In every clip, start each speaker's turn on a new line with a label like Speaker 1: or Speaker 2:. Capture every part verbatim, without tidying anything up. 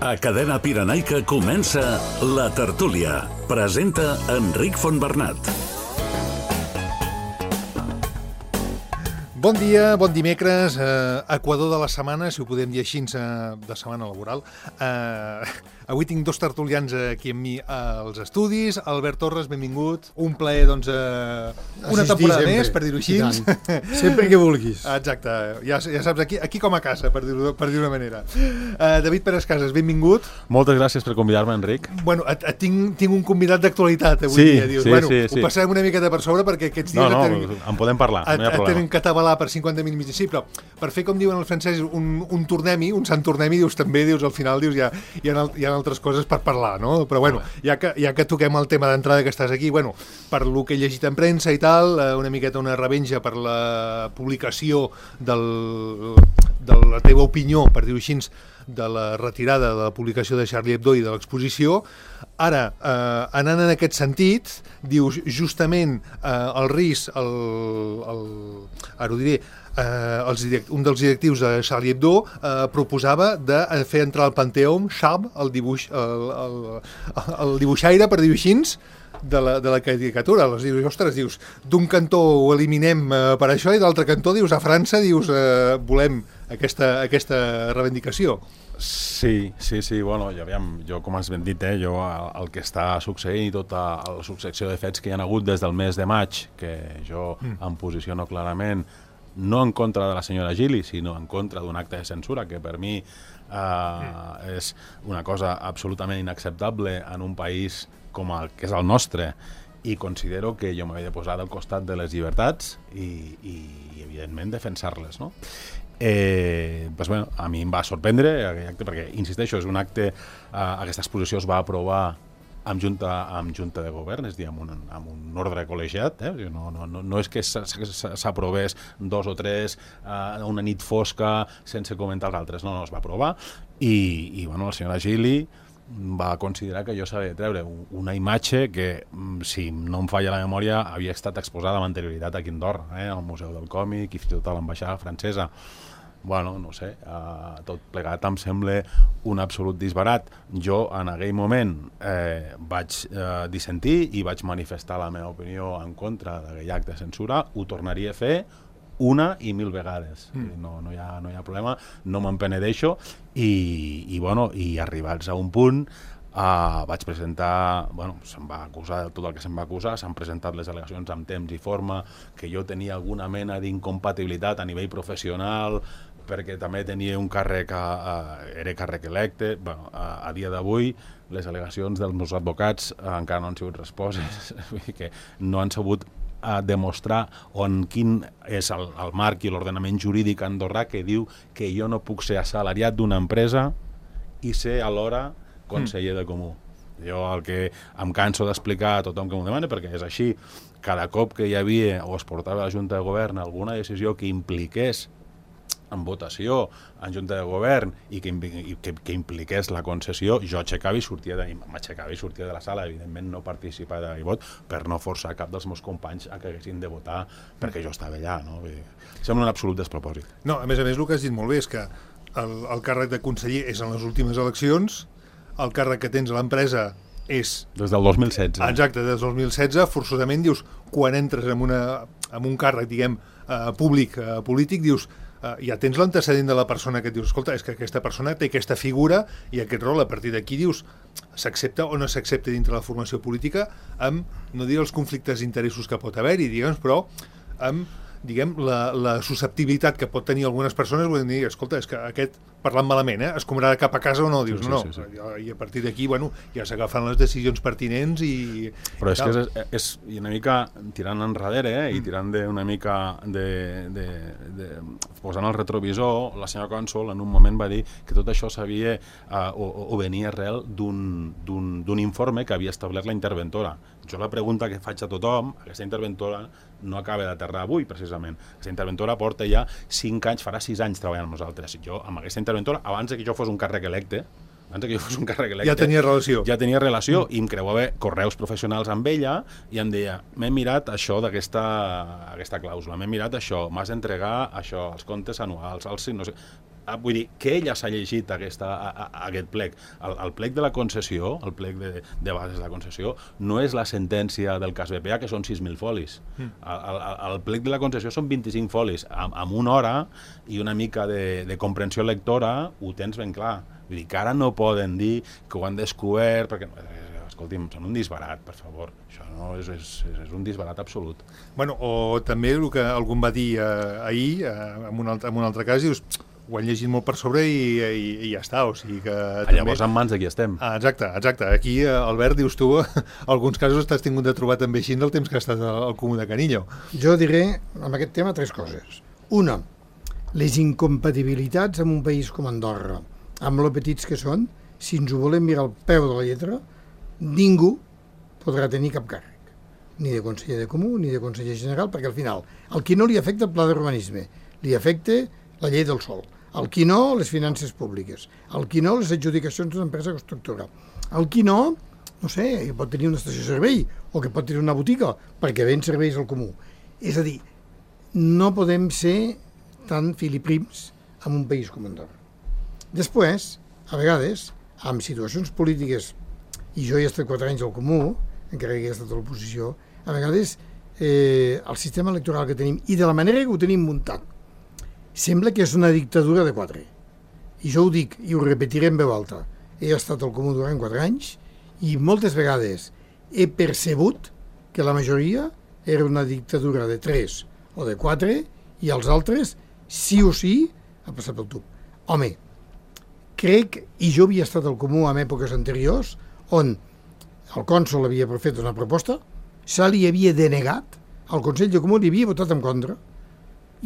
Speaker 1: A Cadena Pirenaica comença La Tertúlia. Presenta Enric Fontbernat.
Speaker 2: Bon dia, bon dimecres, eh, equador de la setmana, si ho podem dir així, eh, de setmana laboral. Eh, avui tinc dos tertulians aquí amb mi als estudis. Albert Torres, benvingut. Un plaer, doncs, eh, una temporada més, per dir-ho així.
Speaker 3: Sempre que vulguis.
Speaker 2: Exacte, ja, ja saps, aquí, aquí com a casa, per dir-ho per dir-ho d'una manera. Eh, David Pérez Casas, benvingut.
Speaker 4: Moltes gràcies per convidar-me, Enric.
Speaker 2: Bueno, et, et tinc, tinc un convidat d'actualitat avui
Speaker 4: sí,
Speaker 2: dia. Dius,
Speaker 4: sí,
Speaker 2: bueno,
Speaker 4: sí,
Speaker 2: ho
Speaker 4: sí.
Speaker 2: passarem una miqueta per sobre perquè aquests dies...
Speaker 4: No, no,
Speaker 2: tenen,
Speaker 4: en podem parlar,
Speaker 2: et,
Speaker 4: no hi ha
Speaker 2: et
Speaker 4: problema.
Speaker 2: tenen que atabalar per cinquanta minuts, sí, però per fer, com diuen els francesos, un, un tornem-hi, un sant tornem-hi, dius, també, dius, al final, dius, hi ha, hi ha, hi ha altres coses per parlar, no? Però, bueno, ja que, ja que toquem el tema d'entrada que estàs aquí, bueno, per lo que he llegit en premsa i tal, una miqueta una revenja per la publicació del, de la teva opinió, per dir-ho així, de la retirada de la publicació de Charlie Hebdo i de l'exposició. Ara, eh, anant en aquest sentit, dius, justament eh, el risc, el, el, ara ho diré, eh, els direct, un dels directius de Charlie Hebdo eh, proposava de fer entrar al Panteó Chab, el, dibuix, el, el, el dibuixaire, per dir-ho així, de la, de la caricatura. Els dius, ostres, dius, d'un cantó ho eliminem eh, per això i d'altre cantó, dius, a França, dius, eh, volem aquesta, aquesta reivindicació.
Speaker 4: Sí, sí, sí, bueno, ja aviam, jo com has ben dit, eh, jo el, el que està succeint i tota la successió de fets que hi ha hagut des del mes de maig, que jo mm. em posiciono clarament, no en contra de la senyora Gili, sinó en contra d'un acte de censura, que per mi eh, mm. és una cosa absolutament inacceptable en un país com el que és el nostre, i considero que jo m'havia de posar al costat de les llibertats i, i, i evidentment, defensar-les, no? Eh, pues bueno, a mi em va sorprendre aquell acte, perquè, insisteixo, és un acte, eh, aquesta exposició es va aprovar amb junta, amb junta de govern, és a dir, amb un, amb un ordre col·legiat, eh? no, no, no, no és que s'aprovés dos o tres eh, una nit fosca sense comentar els altres, no, no, es va aprovar i, i bueno, la senyora Gili va considerar que jo sabia treure una imatge que, si no em falla la memòria, havia estat exposada amb anterioritat aquí a Andorra, eh, al Museu del Còmic i fins i tot a l'ambaixada francesa. Bueno, no sé, uh, tot plegat em sembla un absolut disbarat. Jo, en aquell moment, eh, vaig eh, dissentir i vaig manifestar la meva opinió en contra d'aquell acte de censura. Ho tornaria a fer una i mil vegades. Mm. No, no, hi ha, no hi ha problema, no me'n penedeixo i, i, bueno, i arribats a un punt uh, vaig presentar, bueno, se'm va acusar de tot el que se'm va acusar, s'han presentat les al·legacions amb temps i forma, que jo tenia alguna mena d'incompatibilitat a nivell professional, perquè també tenia un càrrec, uh, era càrrec electe. Bueno, uh, a dia d'avui les al·legacions dels meus advocats uh, encara no han sigut resposes, vull dir que no han sabut a demostrar on quin és el, el marc i l'ordenament jurídic andorrà que diu que jo no puc ser assalariat d'una empresa i ser alhora conseller de comú. Jo el que em canso d'explicar a tothom que m'ho demana, perquè és així, cada cop que hi havia o es portava a la Junta de Govern alguna decisió que impliqués en votació en Junta de Govern i que, i que, que impliqués la concessió, jo aixecava i sortia de, m'aixecava i sortia de la sala, evidentment no participava de vot per no forçar cap dels meus companys a que haguessin de votar perquè jo estava allà, no? Vull dir, sembla un absolut despropòsit.
Speaker 2: No, a més a més el que has dit molt bé és que el, el càrrec de conseller és en les últimes eleccions, el càrrec que tens a l'empresa és...
Speaker 4: Des del dos mil setze.
Speaker 2: Exacte, des del dos mil setze, forçosament dius, quan entres en, una, en un càrrec, diguem, eh, públic, eh, polític, dius, Uh, ja tens l'antecedent de la persona que et dius, escolta, és que aquesta persona té aquesta figura i aquest rol, a partir d'aquí dius, s'accepta o no s'accepta dintre la formació política amb, no diré els conflictes d'interessos que pot haver-hi, diguem, però amb, diguem, la, la susceptibilitat que pot tenir algunes persones, vull dir, escolta, és que aquest, parlant malament, eh, es cobrarà cap a casa o no, dius,
Speaker 4: sí,
Speaker 2: no,
Speaker 4: sí, sí, sí.
Speaker 2: no, i a partir d'aquí, bueno, ja s'agafen les decisions pertinents i...
Speaker 4: Però és que és, és, és una mica tirant enrere, eh, i tirant de una mica de, de, de posant el retrovisor, la senyora cònsol en un moment va dir que tot això s'havia uh, o, o venia arrel d'un informe que havia establert la interventora. Jo la pregunta que faig a tothom, aquesta interventora no acaba d'aterrar avui, precisament. Aquesta interventora porta ja cinc anys, farà sis anys treballant amb nosaltres. Jo, amb aquesta interventora, abans que jo fos un càrrec electe, abans que jo fos un càrrec electe...
Speaker 2: Ja tenia relació.
Speaker 4: Ja tenia relació, mm. i em creuava correus professionals amb ella, i em deia, m'he mirat això d'aquesta aquesta clàusula, m'he mirat això, m'has d'entregar això, els comptes anuals, els... no sé... vull dir, que ella s'ha llegit aquesta, a, a, aquest plec. El, el plec de la concessió, el plec de, de bases de la concessió, no és la sentència del cas B P A, que són sis mil folis. Mm. El, el, el plec de la concessió són vint-i-cinc folis. Amb, amb una hora i una mica de, de comprensió lectora ho tens ben clar. Vull dir que ara no poden dir que ho han descobert, perquè... Escolti'm, són un disbarat, per favor. Això no és, és, és un disbarat absolut.
Speaker 2: Bueno, o també el que algú va dir eh, ahir, eh, en, un altre, en un altre cas, dius, ho han llegit molt per sobre i, i, i ja està, o sigui que...
Speaker 4: Ah,
Speaker 2: també...
Speaker 4: Llavors en mans de qui estem.
Speaker 2: Ah, exacte, exacte. Aquí, eh, Albert, dius tu, alguns casos t'has tingut de trobar també així del temps que has estat al Comú de Canillo.
Speaker 3: Jo diré, amb aquest tema, tres coses. Una, les incompatibilitats en un país com Andorra, amb lo petits que són, si ens ho volem mirar al peu de la lletra, ningú podrà tenir cap càrrec, ni de conseller de comú, ni de conseller general, perquè al final, al qui no li afecta el pla d'urbanisme, li afecta la llei del sòl, al qui no, les finances públiques, al qui no, les adjudicacions d'una empresa constructora, al qui no, no sé, que pot tenir una estació de servei, o que pot tenir una botiga, perquè ven serveis al comú. És a dir, no podem ser tan filiprims en un país com Andorra. Després, a vegades, amb situacions polítiques, i jo he estat quatre anys al Comú, encara que he estat a l'oposició, a vegades eh, el sistema electoral que tenim, i de la manera que ho tenim muntat, sembla que és una dictadura de quatre. I jo ho dic, i ho repetiré en veu alta. He estat al Comú durant quatre anys, i moltes vegades he percebut que la majoria era una dictadura de tres o de quatre, i els altres, sí o sí, ha passat pel tub. Home, crec, i jo havia estat al Comú en èpoques anteriors, on el cònsol havia fet una proposta, se li havia denegat, el Consell de Comú li havia votat en contra,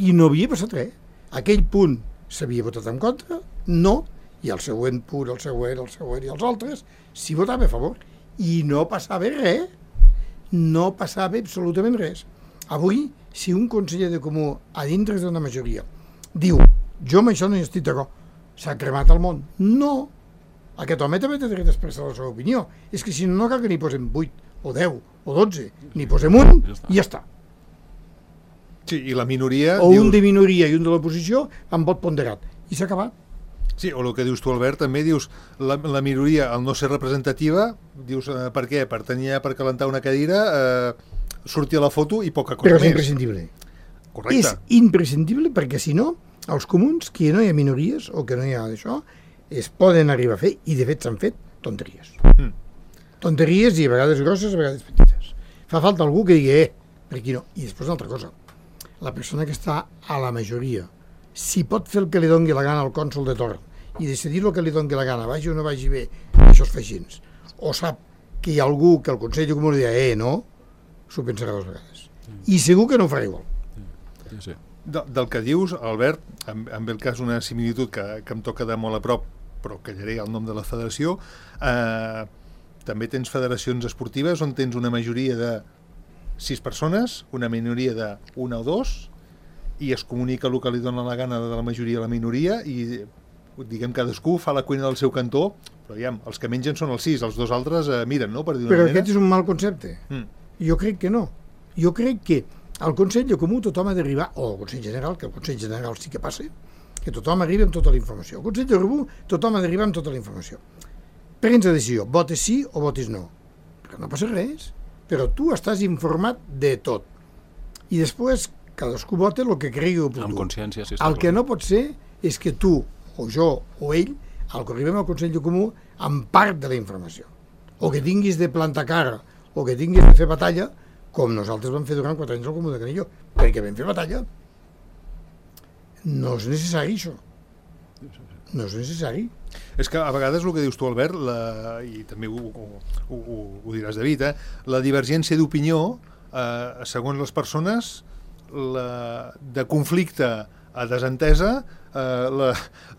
Speaker 3: i no havia passat res. Aquell punt s'havia votat en contra, no, i el següent punt, el següent, el següent i els altres, s'hi votava a favor. I no passava res, no passava absolutament res. Avui, si un conseller de Comú, a dintre d'una majoria, diu, jo amb això no hi estic d'acord, s'ha cremat el món. No, aquest home també té dret d'expressar la seva opinió. És que si no, no cal que n'hi posem vuit, o deu, o dotze. N'hi posem un i ja està.
Speaker 2: Sí, i la minoria...
Speaker 3: O
Speaker 2: dius...
Speaker 3: un de minoria i un de l'oposició amb vot ponderat. I s'ha acabat.
Speaker 2: Sí, o el que dius tu, Albert, també dius la, la minoria, al no ser representativa, dius eh, per què? Per tenir per calentar una cadira, eh, sortir a la foto i poca cosa
Speaker 3: Però és
Speaker 2: més.
Speaker 3: imprescindible.
Speaker 2: Correcte.
Speaker 3: És imprescindible perquè si no, els comuns, que no hi ha minories o que no hi ha d'això, es poden arribar a fer, i de fet s'han fet, tonteries. Mm. Tonteries i a vegades grosses, a vegades petites. Fa falta algú que digui, eh, per aquí no. I després una altra cosa, la persona que està a la majoria, si pot fer el que li doni la gana al cònsol de torn i decidir el que li doni la gana, vagi o no vagi bé, això es fa així, o sap que hi ha algú que el Consell de Comú li dirà, eh, no, s'ho pensarà dues vegades. Mm. I segur que no ho farà igual.
Speaker 4: Sí, sí.
Speaker 2: De, del que dius, Albert, amb, amb el cas una similitud que, que em toca de molt a prop, però callaré el nom de la federació, eh, també tens federacions esportives on tens una majoria de sis persones, una minoria de una o dos, i es comunica el que li dona la gana de la majoria a la minoria, i diguem cadascú fa la cuina del seu cantó, però ja, els que mengen són els sis, els dos altres eh, miren, no?, per dir una
Speaker 3: però
Speaker 2: manera.
Speaker 3: Aquest és un mal concepte. Mm. Jo crec que no. Jo crec que al Consell de Comú tothom ha d'arribar, o al Consell General, que el Consell General sí que passa, que tothom arriba amb tota la informació. Al Consell de Comú tothom ha d'arribar amb tota la informació. Prens la decisió, votes sí o votes no. Però no passa res, però tu estàs informat de tot. I després cadascú vota el que cregui oportú.
Speaker 4: Amb consciència, sí.
Speaker 3: El que no pot ser és que tu, o jo, o ell, al que arribem al Consell de Comú, amb part de la informació. O que tinguis de plantar cara, o que tinguis de fer batalla, com nosaltres vam fer durant quatre anys al Comú de Canillo, perquè vam fer batalla. No és necessari, això. No és necessari.
Speaker 2: És que a vegades el que dius tu, Albert, la, i també ho, ho, ho, ho diràs, David, eh, la divergència d'opinió, eh, segons les persones, la, de conflicte a desentesa, eh, la,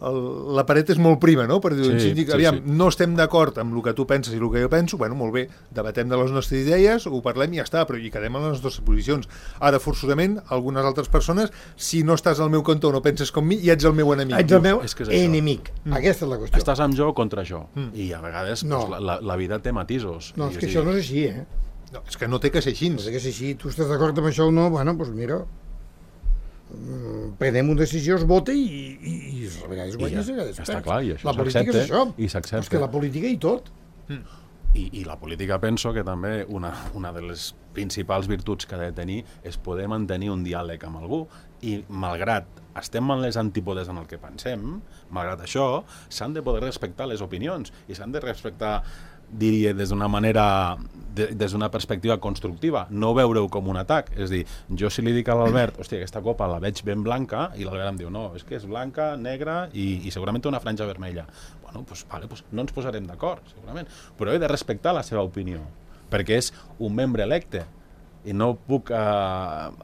Speaker 2: el, la paret és molt prima, no? Per dir,
Speaker 4: sí,
Speaker 2: sí, aviam, sí, sí. No estem d'acord amb el que tu penses i el que jo penso, bueno, molt bé, debatem de les nostres idees, ho parlem i ja està, però hi quedem en les nostres posicions. Ara, forçosament, algunes altres persones, si no estàs al meu cantó o no penses com mi, i ets el meu enemic.
Speaker 3: Ets el meu
Speaker 4: és que és
Speaker 3: enemic. Mm. Aquesta és la qüestió.
Speaker 4: Estàs amb jo o contra jo. Mm. I a vegades
Speaker 3: no.
Speaker 4: pues, la, la vida té matisos.
Speaker 3: No, és que això no és així, eh?
Speaker 2: No, és que no té que ser així.
Speaker 3: No té que ser així. Tu estàs d'acord amb això o no? Bueno, doncs mira, prenem una decisió, es vota i, i, i a vegades guanya, a vegades
Speaker 4: està clar, i això
Speaker 3: la política és això.
Speaker 4: I s'accepta.
Speaker 3: És que la política i tot.
Speaker 2: Mm.
Speaker 4: I, I la política penso que també una, una de les principals virtuts que ha de tenir és poder mantenir un diàleg amb algú i malgrat estem en les antípodes en el que pensem, malgrat això s'han de poder respectar les opinions i s'han de respectar, diria, des d'una manera, de, des d'una perspectiva constructiva, no veure-ho com un atac. És dir, jo si li dic a l'Albert, hòstia, aquesta copa la veig ben blanca, i l'Albert em diu, no, és que és blanca, negra i, i segurament té una franja vermella. Bueno, doncs, vale, doncs no ens posarem d'acord, segurament, però he de respectar la seva opinió, perquè és un membre electe, i no puc eh,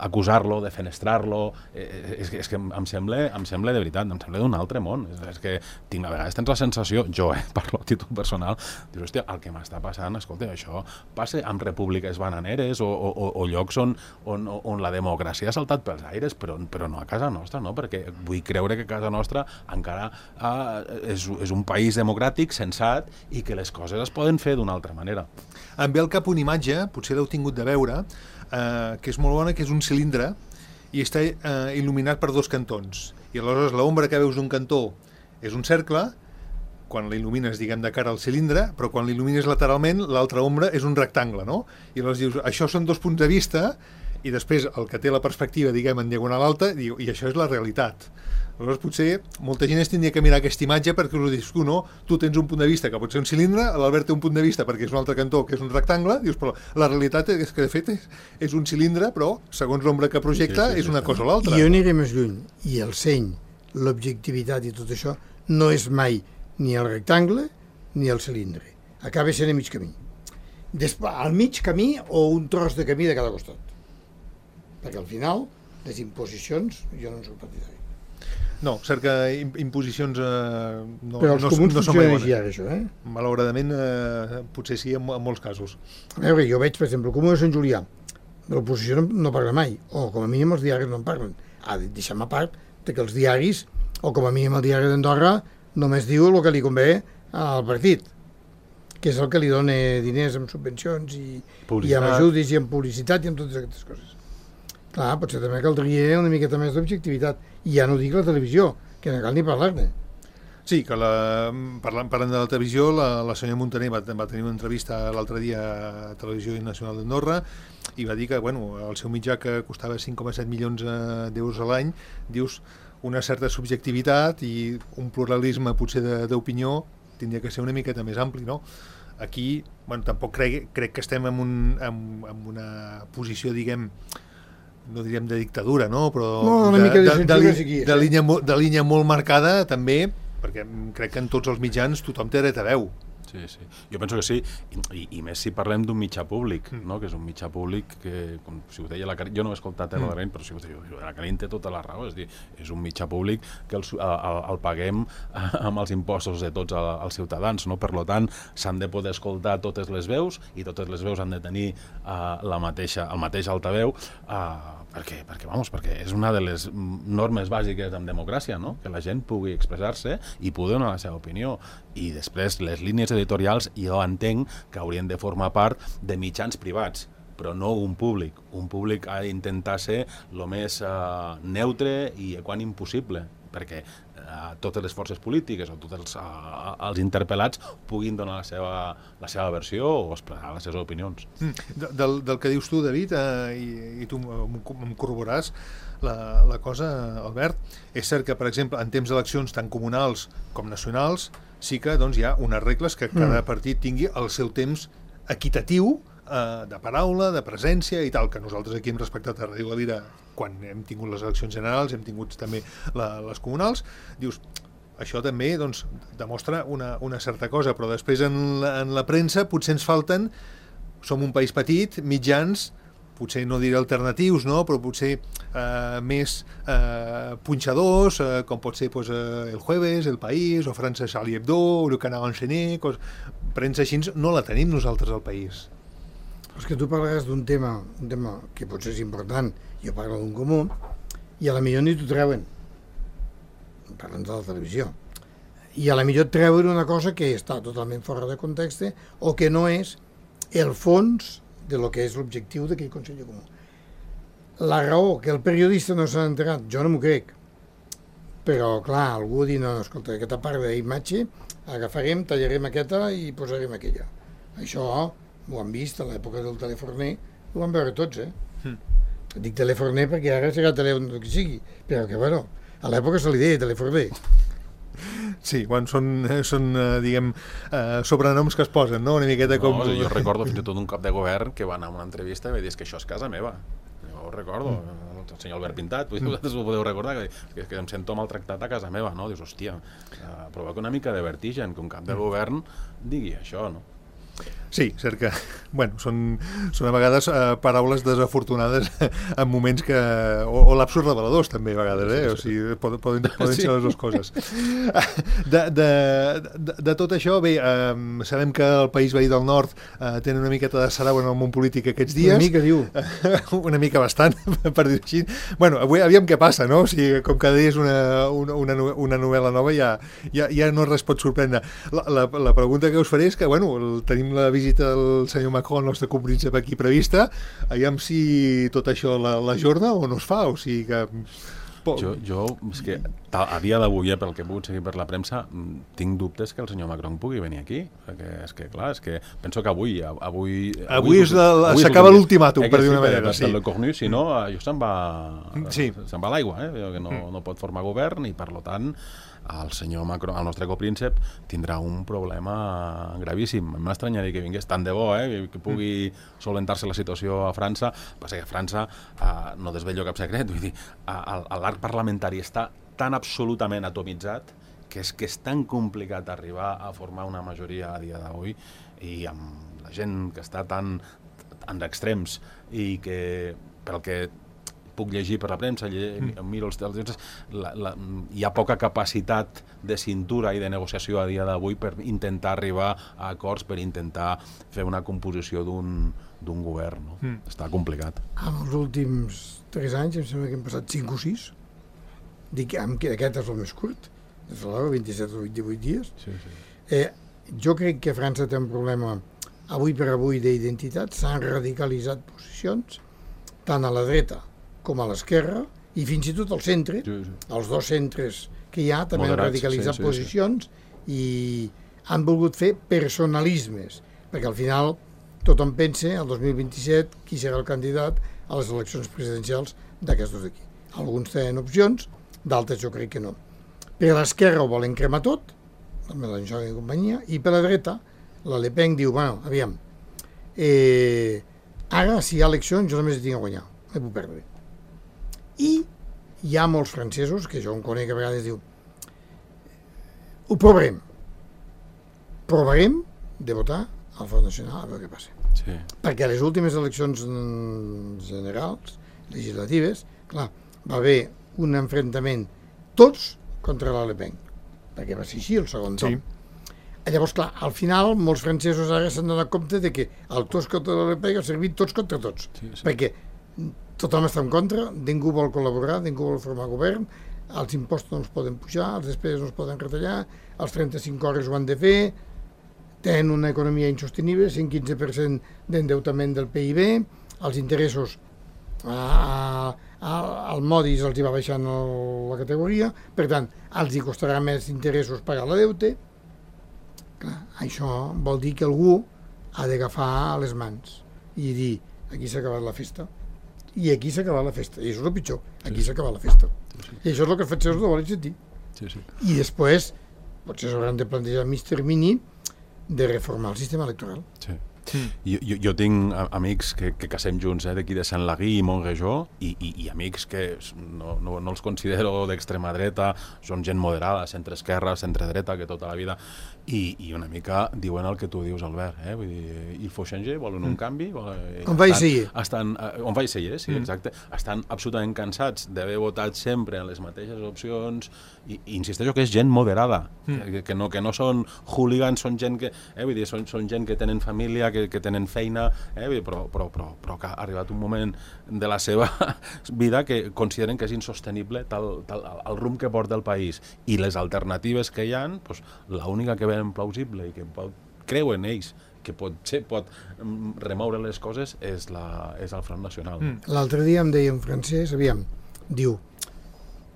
Speaker 4: acusar-lo, defenestrar-lo. Eh, és, és que em sembla, em sembla de veritat, em sembla d'un altre món. És, és que tinc, a vegades tens la sensació, jo eh, parlo a títol personal, dius, hòstia, el que m'està passant, escolta, això passa amb repúbliques bananeres o, o, o llocs on, on, on la democràcia ha saltat pels aires, però, però no a casa nostra, no? Perquè vull creure que casa nostra encara eh, és, és un país democràtic, sensat, i que les coses es poden fer d'una altra manera.
Speaker 2: Em ve al cap una imatge, potser l'heu tingut de veure, eh, que és molt bona, que és un cilindre i està eh, il·luminat per dos cantons. I aleshores l'ombra que veus d'un cantó és un cercle, quan l'il·lumines, diguem, de cara al cilindre, però quan l'il·lumines lateralment, l'altra ombra és un rectangle, no? I aleshores dius, això són dos punts de vista, i després el que té la perspectiva, diguem, en diagonal alta, diu, i això és la realitat. Aleshores, potser molta gent es tindria que mirar aquesta imatge perquè us ho dius, tu no, tu tens un punt de vista que pot ser un cilindre, l'Albert té un punt de vista perquè és un altre cantó que és un rectangle, dius, però la realitat és que de fet és, és un cilindre, però segons l'ombra que projecta sí, sí, sí, és una sí, cosa o l'altra.
Speaker 3: I jo aniré més lluny, i el seny, l'objectivitat i tot això no és mai ni el rectangle ni el cilindre, acaba sent a mig camí. Després, al mig camí o un tros de camí de cada costat, perquè al final les imposicions jo no en soc partidari.
Speaker 2: No, cert que imposicions eh, no,
Speaker 3: però els
Speaker 2: no,
Speaker 3: comuns
Speaker 2: no són
Speaker 3: funcionen
Speaker 2: mai
Speaker 3: així ara, això, eh?
Speaker 2: Malauradament, eh, potser sí, en, en molts casos.
Speaker 3: A veure, jo veig, per exemple, el Comú de Sant Julià, de l'oposició no, no parla mai, o com a mínim els diaris no en parlen. Ah, deixem a part de que els diaris, o com a mínim el diari d'Andorra, només diu el que li convé al partit, que és el que li dona diners amb subvencions i, i amb ajudes i amb publicitat i amb totes aquestes coses. Clar, potser també caldria una miqueta més d'objectivitat. I ja no dic la televisió, que no cal ni parlar-ne.
Speaker 2: Sí, que la, parlant, parlant de la televisió, la, la senyora Montaner va, va tenir una entrevista l'altre dia a Televisió Nacional d'Andorra i va dir que bueno, el seu mitjà, que costava cinc coma set milions d'euros a l'any, dius una certa subjectivitat i un pluralisme potser d'opinió tindria que ser una miqueta més ampli, no? Aquí, bueno, tampoc crec, crec que estem en, un, en, en una posició, diguem, no diríem de dictadura, no? Però
Speaker 3: no, una
Speaker 2: de,
Speaker 3: mica de,
Speaker 2: de, de, de,
Speaker 3: aquí,
Speaker 2: de, línia, de línia molt marcada també, perquè crec que en tots els mitjans tothom té dret a veu.
Speaker 4: Sí, sí. Jo penso que sí, i, i més si parlem d'un mitjà públic, mm. no? Que és un mitjà públic que, com si ho deia la Carín, jo no he escoltat mm. la Carín, però si ho deia, la Carín té tota la raó, és dir, és un mitjà públic que el, el, el paguem amb els impostos de tots els ciutadans, no? Per lo tant, s'han de poder escoltar totes les veus i totes les veus han de tenir uh, la mateixa, el mateix altaveu, uh, per què? Perquè, vamos, perquè és una de les normes bàsiques en democràcia, no? Que la gent pugui expressar-se i pugui donar la seva opinió. I després, les línies editorials jo entenc que haurien de formar part de mitjans privats, però no un públic. Un públic ha d'intentar ser el més uh, neutre i equànim possible, perquè uh, totes les forces polítiques o tots els, uh, els interpel·lats puguin donar la seva, la seva versió o expressar les seves opinions.
Speaker 2: Mm. Del, del que dius tu, David, eh, i, i tu em corroboràs, la, la cosa, Albert, és cert que, per exemple, en temps d'eleccions tant comunals com nacionals, sí que doncs, hi ha unes regles que cada mm. partit tingui el seu temps equitatiu eh, de paraula, de presència i tal, que nosaltres aquí hem respectat a Ràdio Valira quan hem tingut les eleccions generals, hem tingut també la, les comunals. Dius, això també doncs, demostra una, una certa cosa, però després en la, en la premsa potser ens falten, som un país petit, mitjans, potser no diré alternatius, no? Però potser eh, més eh, punxadors, eh, com pot ser pues, eh, El Jueves, El País, o França Charlie Hebdo, o Le Canard Enchaîné, cos... premsa així no la tenim nosaltres al país.
Speaker 3: És que tu parlaràs d'un tema, un tema que potser és important, jo parlo d'un comú, i a la millor ni t'ho treuen. Parlen de la televisió. I a la millor treuen una cosa que està totalment fora de context o que no és el fons de lo que és l'objectiu d'aquell Consell Comú. La raó que el periodista no s'ha enterat, jo no m'ho crec, però, clar, algú dir, no, no, escolta, aquesta part d'imatge agafarem, tallarem aquesta i posarem aquella. Això ho han vist a l'època del teleforner, ho van veure tots, eh? Mm. Dic teleforner perquè ara serà telèfon que sigui, però que, bueno, a l'època se li deia teleforner.
Speaker 2: Sí, bueno, són, són eh, diguem, eh, sobrenoms que es posen, no? Una miqueta com...
Speaker 4: No, jo recordo fins i tot un cap de govern que va anar a una entrevista i va dir que això és casa meva. Jo ho recordo, mm. el senyor Albert Pintat, mm. vosaltres ho podeu recordar, que, que em sento maltractat a casa meva, no? Dius, hòstia, eh, provoca una mica de vertigen que un cap de govern digui això, no?
Speaker 2: Sí, cert que, bueno, són, són a vegades eh, paraules desafortunades en moments que... o, o lapsos reveladors també a vegades, eh? O sigui, poden, poden, poden ser les dues coses. De, de, de, de tot això, bé, eh, sabem que el País Veí del Nord eh, tenen una miqueta de sarau en el món polític aquests dies.
Speaker 3: Una mica, diu.
Speaker 2: Una mica bastant, per dir-ho així. Bueno, avui aviam què passa, no? O sigui, com cada dia és una, una, una, una novel·la nova, ja, ja, ja no res pot sorprendre. La, la, la pregunta que us faré és que, bueno, el, tenim la visita del senyor Macron, el nostre compríncep aquí prevista, aviam si tot això l'ajorna o no es fa, o sigui que...
Speaker 4: Jo, jo és que a dia d'avui, eh, pel que he pogut seguir per la premsa, tinc dubtes que el senyor Macron pugui venir aquí, perquè és que, clar, és que penso que avui... Avui,
Speaker 2: avui, avui s'acaba l'ultimàtum, per dir una manera.
Speaker 4: Sí. Le Cornu, si no, això se'n va,
Speaker 2: sí.
Speaker 4: se'n va a l'aigua, eh? Que no, no pot formar govern i, per tant, el senyor Macron, el nostre copríncep, tindrà un problema gravíssim. M'estranyaria que vingués tant de bo, eh? Que pugui solventar-se la situació a França. Passa que a França eh, no desvello cap secret, vull dir, l'arc parlamentari està tan absolutament atomitzat que és que és tan complicat arribar a formar una majoria a dia d'avui, i amb la gent que està tan en extrems i que, pel que puc llegir per la premsa, mm. miro els temps, la, la, hi ha poca capacitat de cintura i de negociació a dia d'avui per intentar arribar a acords, per intentar fer una composició d'un d'un govern, no? Mm. Està complicat.
Speaker 3: En els últims tres anys, em sembla que hem passat cinc o sis, dic que aquest és el més curt, des de l'hora, vint-i-set o vint-i-vuit dies.
Speaker 4: Sí, sí.
Speaker 3: Eh, jo crec que França té un problema avui per avui d'identitat, s'han radicalitzat posicions, tant a la dreta com a l'esquerra, i fins i tot al centre, sí, sí. Els dos centres que hi ha també Moderats, han radicalitzat sí, sí, posicions sí. I han volgut fer personalismes, perquè al final tothom pensa, el dos mil vint-i-set, qui serà el candidat a les eleccions presidencials d'aquests dos d'aquí. Alguns tenen opcions, d'altres jo crec que no. Per l'esquerra ho volen cremar tot, el Mélenchon i companyia, i per la dreta, la Le Pen diu, bueno, aviam, eh, ara si hi ha eleccions jo només tinc a guanyar, no puc perdre. I hi ha molts francesos, que jo em conec a vegades, diu, ho provarem. Provarem de votar al Front Nacional a veure què passa.
Speaker 4: Sí.
Speaker 3: Perquè a les últimes eleccions generals, legislatives, clar, va haver un enfrontament tots contra la Le Pen, perquè va ser així el segon torn. Sí. Llavors, clar, al final, molts francesos ara s'han donat compte de que el tots contra la Le Pen ha servit tots contra tots, sí, sí. Perquè tothom està en contra, ningú vol col·laborar, ningú vol formar govern, els impostos no els poden pujar, els despeses no els poden retallar, els trenta-cinc hores ho han de fer, tenen una economia insostenible, cent quinze per cent d'endeutament del P I B, els interessos a, a, al Modis els hi va baixant la categoria, per tant, els hi costarà més interessos pagar la deute. Clar, això vol dir que algú ha d'agafar les mans i dir, aquí s'ha acabat la festa. I aquí s'ha acabat la festa, i això és el pitjor, aquí sí. S'ha acabat la festa. Sí, sí. I això és el que els francesos no volen sentir.
Speaker 4: Sí, sí.
Speaker 3: I després, potser s'hauran de plantejar mig termini de reformar el sistema electoral.
Speaker 4: Sí. Mm. Jo, jo, jo tinc amics que, que casem junts, eh, d'aquí de Saint-Lagui i Montréjó, i, i, i amics que no, no, no els considero d'extrema dreta, són gent moderada, centre-esquerra, centre-dreta, que tota la vida, i, i una mica diuen el que tu dius, Albert, eh? Vull dir, il faut changer, volen un mm. canvi, volen,
Speaker 3: on va essayer.
Speaker 4: Estan, on va essayer, sí, mm. exacte, estan absolutament cansats d'haver votat sempre en les mateixes opcions, i, i insisteixo que és gent moderada, mm. que, que, no, que no són hooligans, són gent que, eh, vull dir, són, són gent que tenen família, que, que tenen feina, eh, però, però, però, però que ha arribat un moment de la seva vida que consideren que és insostenible tal, tal, el rumb que porta el país, i les alternatives que hi ha, doncs, l'única que veuen plausible i que pot, creuen ells que potser pot remoure les coses és, la, és el Front Nacional. Mm.
Speaker 3: L'altre dia em deia un francès, aviam, diu,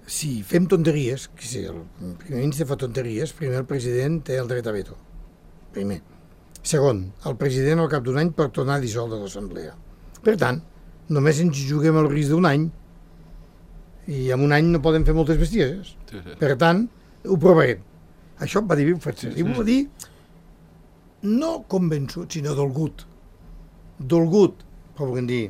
Speaker 3: si fem tonteries, que si el primer ministre fa tonteries, primer el president té el dret a veto. Primer. Segon, el president al cap d'un any pot tornar a dissoldre l'assemblea. Per tant, només ens juguem el risc d'un any i en un any no podem fer moltes bestieses. Sí, sí. Per tant, ho provarem. Això va dir Francesc. Sí, sí. I ho va dir no convençut, sinó dolgut. Dolgut, però volem dir...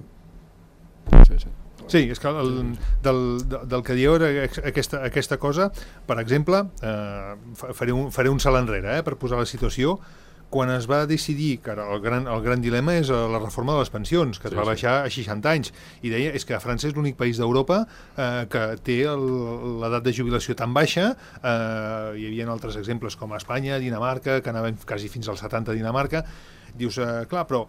Speaker 2: Sí, sí. Sí, és que el, del, del que dieu aquesta, aquesta cosa, per exemple, eh, faré, un, faré un salt enrere eh, per posar la situació. Quan es va decidir que el gran, el gran dilema és la reforma de les pensions, que es sí, va baixar sí. a seixanta anys, i deia és que França és l'únic país d'Europa eh, que té l'edat de jubilació tan baixa. Eh, hi havia altres exemples com a Espanya, Dinamarca, que anaven quasi fins als setanta a Dinamarca. Dius, eh, clar, però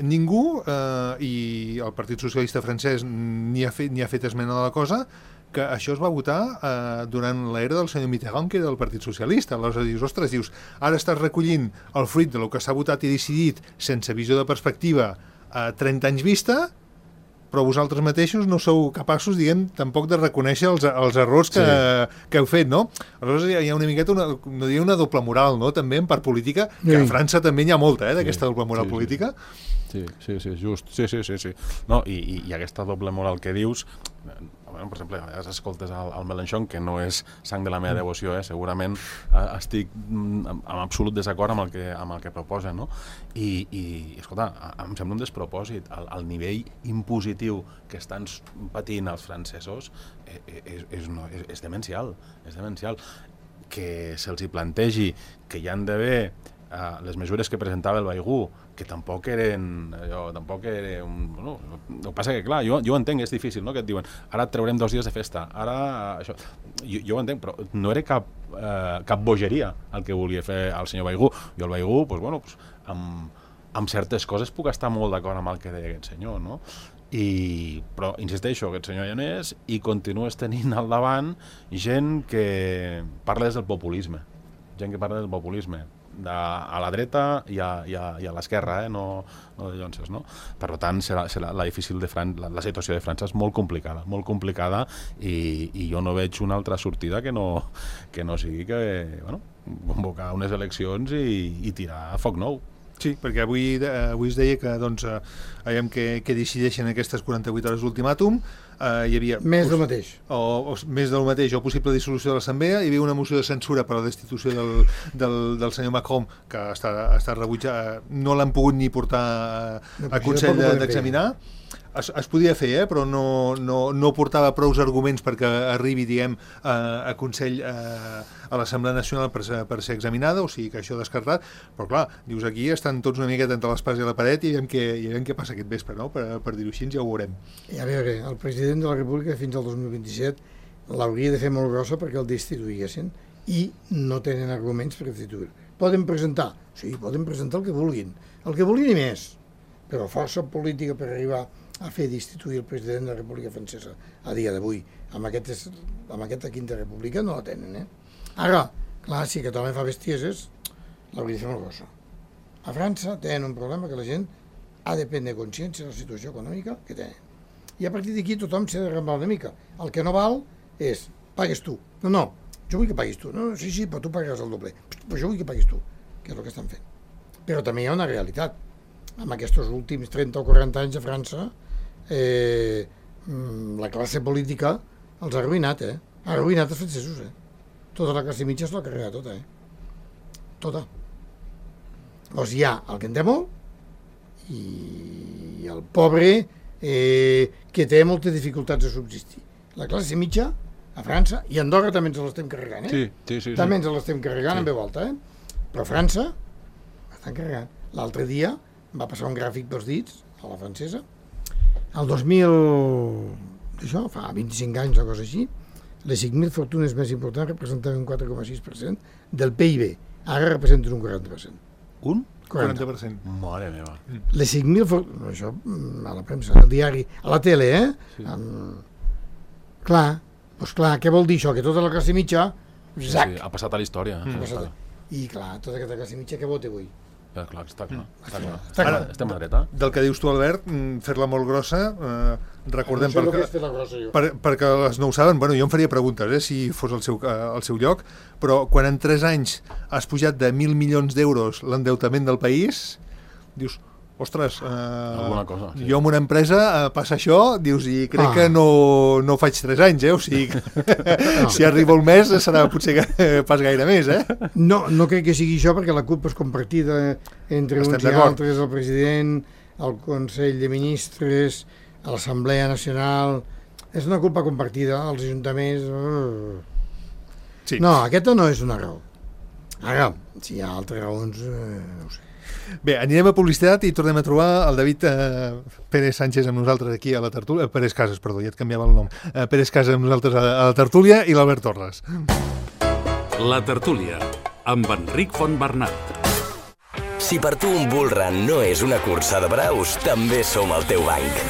Speaker 2: ningú, eh, i el Partit Socialista francès ni ha fet, ni ha fet esmena de la cosa, que això es va votar eh, durant l'era del senyor Mitterrand, que era del Partit Socialista. Aleshores dius, ostres, dius, ara estàs recollint el fruit de lo que s'ha votat i decidit sense visió de perspectiva a trenta anys vista, però vosaltres mateixos no sou capaços, diguem, tampoc de reconèixer els, els errors que, sí. que heu fet, no? Aleshores hi ha una miqueta, una, no diria una doble moral, no?, també en part política, que sí. a França també n'hi ha molta, eh, d'aquesta sí. doble moral sí, política.
Speaker 4: Sí, sí, sí, just. Sí, sí, sí, sí. No, i, i, i aquesta doble moral que dius, bueno, per exemple, a vegades escoltes el, el Mélenchon, que no és sang de la meva devoció, eh? Segurament eh, estic en absolut desacord amb el que, amb el que proposa, no? I, i escolta, em sembla un despropòsit. El, el nivell impositiu que estan patint els francesos és, és, és, no, és, és demencial, és demencial. Que se'ls hi plantegi que hi han d'haver eh, les mesures que presentava el Baigú, que tampoc eren, allò, tampoc era un... Bueno, el que passa que, clar, jo, jo entenc, és difícil, no?, que et diuen, ara et traurem dos dies de festa, ara això... Jo, jo ho entenc, però no era cap, eh, cap bogeria el que volia fer el senyor Baigú. Jo el Baigú, doncs, bueno, doncs, amb, amb certes coses puc estar molt d'acord amb el que deia aquest senyor, no? I, però, insisteixo, aquest senyor ja no és, i continues tenint al davant gent que parla des del populisme, gent que parla del populisme, de, a la dreta i a, i a, i a l'esquerra, eh? no, no de llonses, no? Per tant, serà, serà la, difícil de Fran la, la situació de França és molt complicada, molt complicada, i, i jo no veig una altra sortida que no, que no sigui que, bueno, convocar unes eleccions i, i tirar a foc nou.
Speaker 2: Sí, perquè avui, eh, avui es deia que doncs, eh, veiem que, que decideixen aquestes quaranta-vuit hores d'ultimàtum. Eh, hi havia
Speaker 3: més del mateix.
Speaker 2: O, o, més del mateix, o possible dissolució de l'Assemblea. Hi havia una moció de censura per a la destitució del, del, del senyor Macron, que està, està rebutjat, no l'han pogut ni portar a, a Consell d'examinar. Es, es podia fer, eh, però no, no, no portava prous arguments perquè arribi, diguem, a, a Consell, a, a l'Assemblea Nacional per ser, per ser examinada, o sigui que això descartat. Però clar, dius, aquí estan tots una miqueta entre l'espasa i la paret i veiem què, i veiem què passa aquest vespre, no? Per, per dir-ho així, ja ho veurem.
Speaker 3: I a veure, el president de la República fins al dos mil vint-i-set l'hauria de fer molt grossa perquè el destituïssin i no tenen arguments per destituir. Poden presentar? Sí, poden presentar el que vulguin. El que vulguin i més. Però força política per arribar a fer destituir el president de la República Francesa a dia d'avui, amb, aquest, amb aquesta quinta república no la tenen, eh? Ara, clar, si aquest home fa bestieses, l'hauria de fer molt grossa. A França tenen un problema que la gent ha de prendre consciència de la situació econòmica que tenen. I a partir d'aquí tothom s'ha de remblar una mica. El que no val és, pagues tu. No, no, jo vull que paguis tu. No, sí, sí, però tu pagaràs el doble. Però jo vull que paguis tu, que és el que estan fent. Però també hi ha una realitat. En aquests últims trenta o quaranta anys a França, eh, la classe política els ha arruïnat, eh? Ha arruïnat els francesos, eh? Tota la classe mitja s'ha carregat tota, eh? Tota. Llavors hi ha el que en té molt i el pobre eh, que té moltes dificultats de subsistir. La classe mitja a França, i a Andorra també ens l'estem carregant, eh?
Speaker 4: Sí, sí, sí.
Speaker 3: També
Speaker 4: sí.
Speaker 3: ens l'estem carregant sí. en veu alta, eh? Però a França estan carregant. L'altre dia va passar un gràfic pels dits a la francesa. El dos mil... això, fa vint-i-cinc anys o cosa així, les cinc mil fortunes més importants representaven un quatre coma sis per cent del P I B. Ara representen un quaranta per cent.
Speaker 4: Un?
Speaker 2: quaranta per cent.
Speaker 4: Mare meva.
Speaker 3: Les cinc mil fortunes... Això, a la premsa, al diari, a la tele, eh? Sí. Um, clar, doncs clar, què vol dir això? Que tota la classe mitja...
Speaker 4: Sí, sí, ha passat a la història.
Speaker 3: Mm. I clar, tota aquesta classe mitja què vota avui?
Speaker 4: Clar, clar, està clar. Està clar.
Speaker 3: Està clar.
Speaker 4: Estem a dreta.
Speaker 2: Del que dius tu, Albert, mm, fer-la molt grossa, eh, recordem...
Speaker 3: No sé el
Speaker 2: perquè,
Speaker 3: que és fer la grossa, jo.
Speaker 2: per, perquè les no ho saben, bueno, jo em faria preguntes, eh, si fos al seu, eh, al seu lloc, però quan en tres anys has pujat de mil milions d'euros l'endeutament del país, dius... Ostres, eh,
Speaker 4: Alguna cosa, sí.
Speaker 2: jo amb una empresa eh, passa això, dius, i crec
Speaker 3: Ah.
Speaker 2: que no, no faig tres anys, eh? O sigui, no. Si arriba el mes serà potser que, pas gaire més, eh?
Speaker 3: No, no crec que sigui això, perquè la culpa és compartida entre
Speaker 2: Estem
Speaker 3: uns i
Speaker 2: d'acord.
Speaker 3: altres, el president, el Consell de Ministres, l'Assemblea Nacional... És una culpa compartida, els ajuntaments...
Speaker 2: Sí.
Speaker 3: No, aquesta no és una raó. Ara, si hi ha altres raons, eh, no ho sé.
Speaker 2: Bé, anirem a publicitat i tornem a trobar el David eh, Pérez Sánchez amb nosaltres aquí a la tertúlia, eh, Pérez Casas, perdó, ja et canviava el nom, eh, Pérez Casas amb nosaltres a, a la tertúlia i l'Albert Torres.
Speaker 1: La tertúlia, amb Enric Fontbernat.
Speaker 5: Si per tu un bull run no és una cursa de braus, també som el teu banc.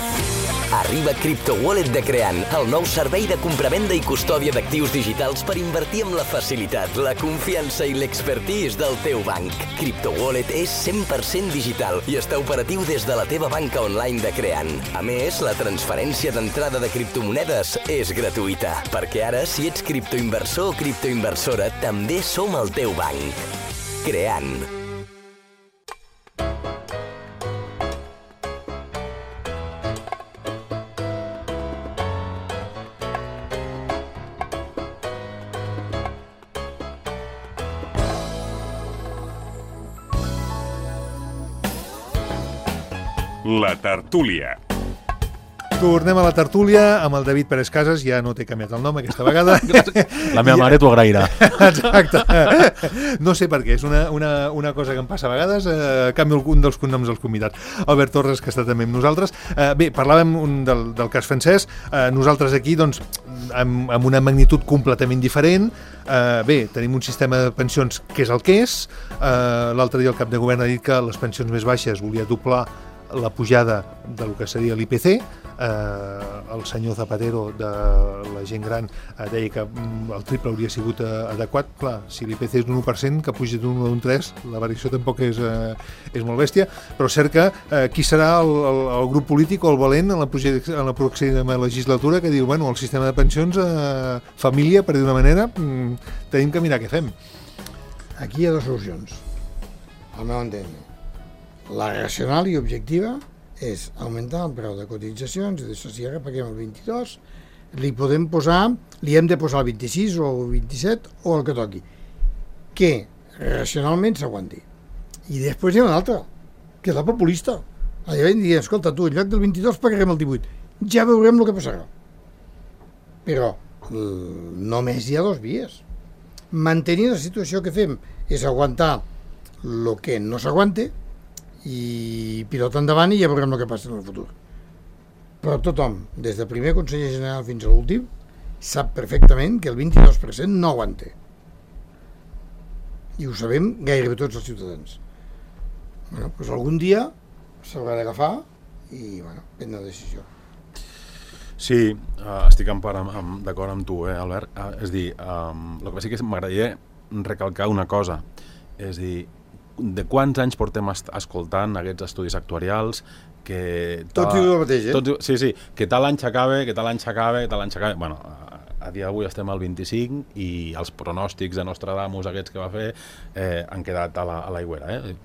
Speaker 5: Arriba CryptoWallet de Creant, el nou servei de compravenda i custòdia d'actius digitals per invertir amb la facilitat, la confiança i l'expertise del teu banc. CryptoWallet és cent per cent digital i està operatiu des de la teva banca online de Creant. A més, la transferència d'entrada de criptomonedes és gratuïta, perquè ara, si ets criptoinversor o criptoinversora, també som el teu banc. Creant.
Speaker 6: La tertúlia.
Speaker 2: Tornem a la tertúlia amb el David Pérez Casas, ja no t'he canviat el nom aquesta vegada.
Speaker 4: La meva mare t'ho agrairà.
Speaker 2: Exacte. No sé per què, és una, una, una cosa que em passa a vegades, eh, canvio un dels cognoms dels convidats. Albert Torres, que està també amb nosaltres. Eh, bé, parlàvem un del, del cas francès, eh, nosaltres aquí, doncs, amb, amb una magnitud completament diferent. Eh, bé, tenim un sistema de pensions que és el que és. Eh, L'altre dia el cap de govern ha dit que les pensions més baixes volia doblar la pujada del que seria l'I P C. Eh, el senyor Zapatero de la gent gran eh, deia que mm, el triple hauria sigut eh, adequat. Clar, si l'I P C és d'un u per cent, que puja d'un u a un tres, la variació tampoc és, eh, és molt bèstia, però cert que eh, qui serà el, el, el grup polític o el valent en la, en la pròxima legislatura que diu, bueno, el sistema de pensions, eh, família, per dir una manera, mm, tenim que mirar què fem.
Speaker 3: Aquí hi ha dues solucions, al meu entendre. La racional i objectiva és augmentar el preu de cotitzacions, i d'això si ara paguem el vint-i-dos, li podem posar, li hem de posar el vint-i-sis o el vint-i-set o el que toqui, que racionalment s'aguanti. I després hi ha una altra, que és la populista. Allà vam dir, escolta, tu, en lloc del vint-i-dos pagarem el divuit. Ja veurem el que passarà. Però només hi ha dos vies. Mantenir la situació que fem és aguantar el que no s'aguante, i pilota endavant i ja veurem el que passa en el futur. Però tothom, des del primer conseller general fins a l'últim, sap perfectament que el vint-i-dos per cent no aguanta. I ho sabem gairebé tots els ciutadans. Bueno, doncs algun dia s'haurà d'agafar i, bueno, prendre una decisió.
Speaker 4: Sí, uh, estic en part amb, amb, d'acord amb tu, eh, Albert. Uh, és dir, um, el que sí que m'agradaria recalcar una cosa, és dir, de quants anys portem escoltant aquests estudis actuarials que...
Speaker 3: Tots diuen el mateix, eh?
Speaker 4: Tots, sí, sí, que tal any s'acaba, que tal any s'acaba, que tal any s'acaba... Bueno, a dia d'avui estem al vint-i-cinc i els pronòstics de Nostradamus aquests que va fer eh, han quedat a la, a l'aigüera, eh?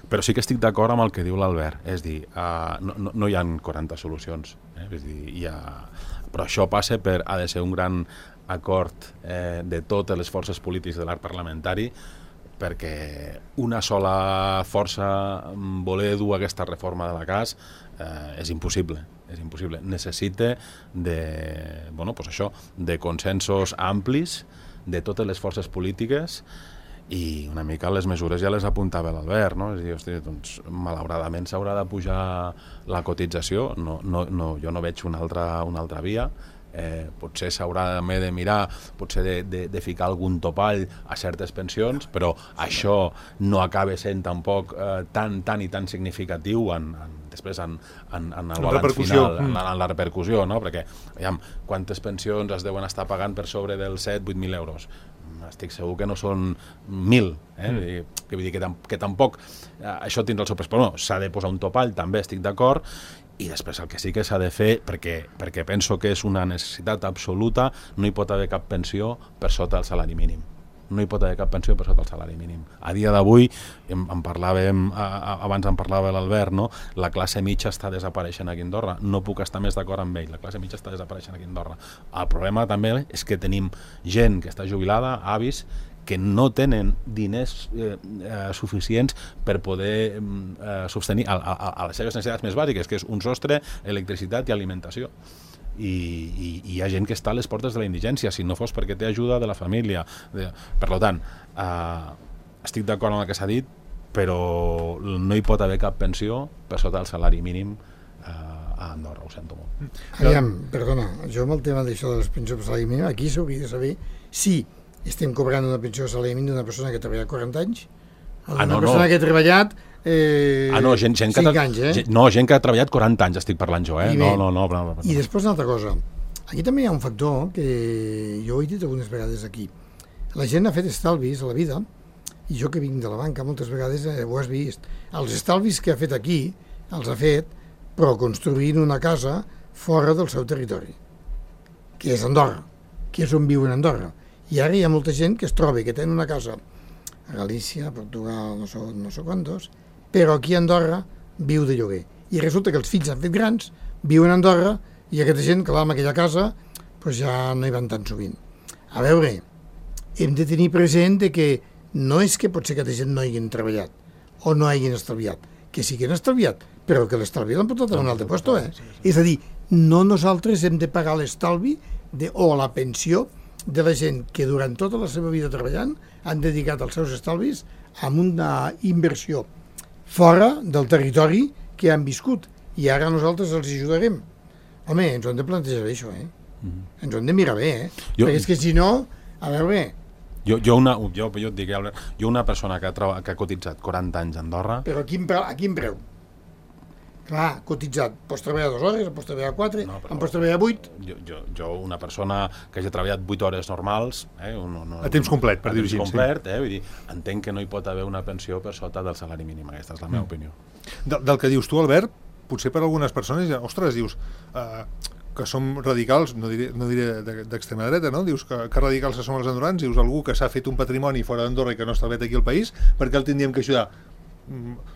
Speaker 4: Però sí que estic d'acord amb el que diu l'Albert, és dir, uh, no, no, no hi ha quaranta solucions, eh? És dir, hi ha... però això passa per, ha de ser un gran acord eh, de totes les forces polítiques de l'arc parlamentari, perquè una sola força voler dur aquesta reforma de la C A S eh, és impossible, és impossible. Necessita de, bueno, pues això, de consensos amplis de totes les forces polítiques i una mica les mesures ja les apuntava l'Albert, no? És a dir, hosti, doncs, malauradament s'haurà de pujar la cotització, no, no, no, jo no veig una altra, una altra via. Eh, potser s'haurà de mirar, potser de, de, de ficar algun topall a certes pensions, però això no acaba sent tampoc eh, tan, tan i tan significatiu en, en, després en, en, en el balanç final, en, en la repercussió, no? Perquè, aviam, quantes pensions es deuen estar pagant per sobre dels set a vuit mil euros? estic segur que no són mil, eh? Mm. Vull dir, que, vull dir que, tam que tampoc eh, això tindrà el seu pes, però no, s'ha de posar un topall, també estic d'acord, i després el que sí que s'ha de fer, perquè, perquè penso que és una necessitat absoluta, no hi pot haver cap pensió per sota del salari mínim. No hi pot haver cap pensió per sota el salari mínim. A dia d'avui, en, en parlàvem, a, a, abans en parlava l'Albert, no? La classe mitja està desapareixent aquí a Andorra. No puc estar més d'acord amb ell. La classe mitja està desapareixent aquí a Andorra. El problema també és que tenim gent que està jubilada, avis, que no tenen diners eh, eh, suficients per poder eh, sostenir a, a, a les seves necessitats més bàsiques, que és un sostre, electricitat i alimentació. I, i, i hi ha gent que està a les portes de la indigència, si no fos perquè té ajuda de la família. De... Per tant, eh, estic d'acord amb el que s'ha dit, però no hi pot haver cap pensió per sota del salari mínim eh, a Andorra, ho sento molt.
Speaker 3: Aviam, perdona, jo amb el tema d'això de les pensions per salari mínim, aquí s'hauria de saber si estem cobrant una pensió de salari mínim d'una persona que ha treballat quaranta anys, o d'una
Speaker 4: ah, no,
Speaker 3: persona
Speaker 4: no.
Speaker 3: que ha treballat Eh,
Speaker 4: ah, no, gent, gent, que
Speaker 3: anys, eh?
Speaker 4: gent, no, gent que ha treballat quaranta anys, estic parlant jo, eh?
Speaker 3: I,
Speaker 4: no, no, no, no, no.
Speaker 3: I després una altra cosa. Aquí també hi ha un factor que jo he dit algunes vegades aquí. La gent ha fet estalvis a la vida, i jo que vinc de la banca moltes vegades eh, ho has vist. Els estalvis que ha fet aquí, els ha fet, però construint una casa fora del seu territori, que és Andorra, que és on viu en Andorra. I ara hi ha molta gent que es troba que tenen una casa a Galícia, a Portugal, no sé, no sé quantos, però aquí a Andorra viu de lloguer. I resulta que els fills s'han fet grans, viuen a Andorra, i aquesta gent, clar, en aquella casa, doncs ja no hi van tan sovint. A veure, hem de tenir present que no és que potser aquesta gent no hagin treballat, o no hagin estalviat, que sí que han estalviat, però que l'estalvi l'han portat a un altre lloc, eh? És a dir, no nosaltres hem de pagar l'estalvi o la pensió de la gent que durant tota la seva vida treballant han dedicat els seus estalvis a una inversió fora del territori que han viscut, i ara nosaltres els ajudarem. Home, ens ho hem de plantejar això, eh? Mm-hmm. Ens ho hem de mirar bé, eh? Jo... Perquè és que si no, a veure...
Speaker 4: Jo, jo, una, jo, jo et dic, Albert, jo una persona que ha, que ha cotitzat quaranta anys a Andorra...
Speaker 3: Però a quin preu? A quin preu? Clar, cotitzat, pots treballar dues hores, pots treballar quatre, no, en pots treballar vuit...
Speaker 4: Jo, jo, jo, una persona que hagi treballat vuit hores normals... Eh, un, un,
Speaker 2: a temps complet, per dir-ho així.
Speaker 4: A temps complet, eh, vull dir, entenc que no hi pot haver una pensió per sota del salari mínim, aquesta és la meva mm. opinió.
Speaker 2: De, del que dius tu, Albert, potser per algunes persones, ostres, dius... Eh, que som radicals, no diré, no diré d'extrema dreta, no? Dius que, que radicals que som els andorrans, dius algú que s'ha fet un patrimoni fora d'Andorra i que no està bé aquí al país, perquè el tindríem que ajudar.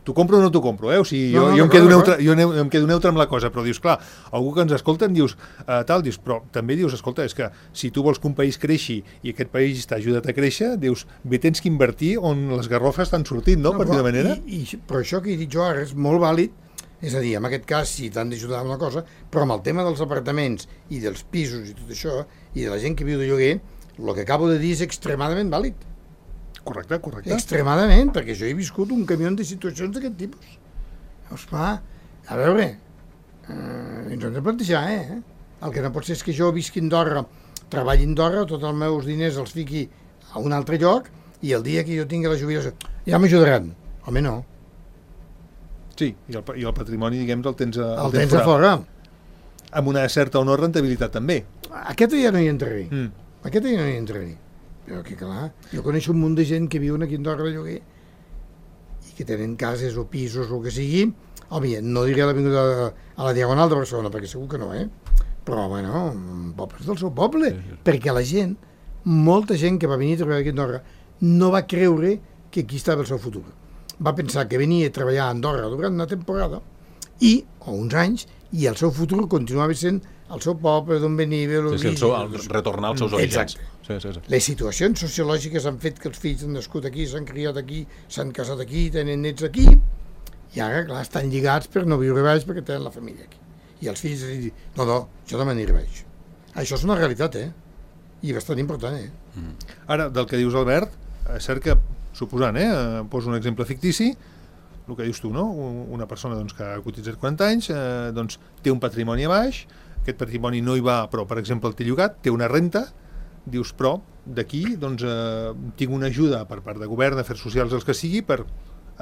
Speaker 2: T'ho compro o no t'ho compro, eh? O sigui, jo, no, no, jo, em quedo neutre, jo em quedo neutre amb la cosa, però dius, clar, algú que ens escolta en dius, eh, tal, dius, però també dius, escolta, és que si tu vols que un país creixi i aquest país t'ha ajudat a créixer, dius, bé, tens que invertir on les garrofes estan sortint, no? no per dir de manera.
Speaker 3: I, i, però això que he dit jo ara és molt vàlid, és a dir, en aquest cas sí t'han d'ajudar amb una cosa, però amb el tema dels apartaments i dels pisos i tot això, i de la gent que viu de lloguer, el que acabo de dir és extremadament vàlid.
Speaker 2: Correcte, correcte.
Speaker 3: Extremadament, perquè jo he viscut un camió de situacions d'aquest tipus. Llavors, clar, a veure, eh, ens hem de plantejar, eh? El que no pot ser és que jo visqui a Andorra, treballi a Andorra, tots els meus diners els fiqui a un altre lloc, i el dia que jo tingui la jubilació, ja m'ajudaran. Home, no.
Speaker 2: Sí, i el, i el patrimoni, diguem, el tens a,
Speaker 3: el tens a fora.
Speaker 2: Amb una certa o no rentabilitat, també.
Speaker 3: Aquest ja no hi entraré.
Speaker 2: Mm.
Speaker 3: Aquest ja no hi entraré. Però que clar, jo coneixo un munt de gent que viuen aquí a Andorra de lloguer i que tenen cases o pisos o el que sigui. Home, no diré a l'avinguda a la Diagonal de Barcelona, perquè segur que no, eh? Però, bueno, pobles del seu poble. Sí, sí. Perquè la gent, molta gent que va venir a treballar aquí a Andorra, no va creure que aquí estava el seu futur. Va pensar que venia a treballar a Andorra durant una temporada i, o uns anys, i el seu futur continuava sent el seu poble d'on venia...
Speaker 4: Sí, sí, el seu, el, retornar als seus orígens. Sí, sí, sí.
Speaker 3: Les situacions sociològiques han fet que els fills han nascut aquí, s'han criat aquí, s'han casat aquí, tenen nets aquí, i ara, clar, estan lligats per no viure baix perquè tenen la família aquí. I els fills diuen, no, no, jo no m'aniré baix. Això és una realitat, eh? I bastant important, eh?
Speaker 2: Mm. Ara, del que dius, Albert, és cert que suposant, eh, poso un exemple fictici, el que dius tu, no? Una persona doncs, que ha cotitzat quaranta anys, eh, doncs, té un patrimoni a baix, aquest patrimoni no hi va, però per exemple el té llogat, té una renta, dius, però d'aquí doncs, eh, tinc una ajuda per part de govern, afers socials, els que sigui, per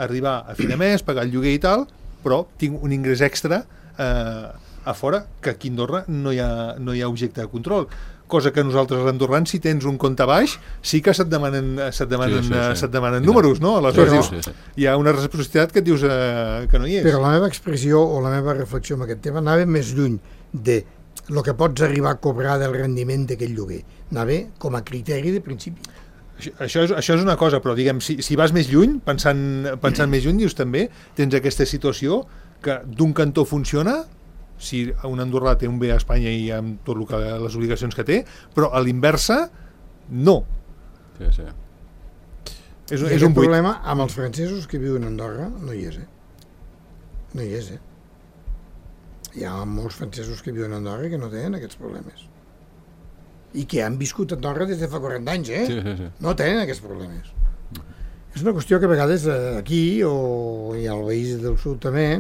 Speaker 2: arribar a fi de mes, pagar el lloguer i tal, però tinc un ingrés extra eh, a fora, que aquí a Andorra no hi ha, no hi ha objecte de control. Cosa que nosaltres, els andorrans, si tens un compte baix, sí que se't demanen, se't demanen, sí, sí, sí. Se't demanen números, no? Aleshores, sí, sí, sí. Hi ha una reciprocitat que et dius eh, que no hi és.
Speaker 3: Però la meva expressió o la meva reflexió en aquest tema anava més lluny de el que pots arribar a cobrar del rendiment d'aquell lloguer. Anava com a criteri de principi.
Speaker 2: Això és, això és una cosa, però diguem, si, si vas més lluny, pensant, pensant més lluny, dius també, tens aquesta situació que d'un cantó funciona, si un andorrà té un bé a Espanya i amb tot el que, les obligacions que té, però a l'inversa, no.
Speaker 4: Sí, sí.
Speaker 2: És,
Speaker 3: I
Speaker 2: és un buit.
Speaker 3: problema amb els francesos que viuen a Andorra no hi és, eh? No hi és, eh? Hi ha molts francesos que viuen a Andorra que no tenen aquests problemes. I que han viscut a Andorra des de fa quaranta anys, eh?
Speaker 4: Sí, sí, sí.
Speaker 3: No tenen aquests problemes. És una qüestió que a vegades aquí, o hi ha el País del Sud també,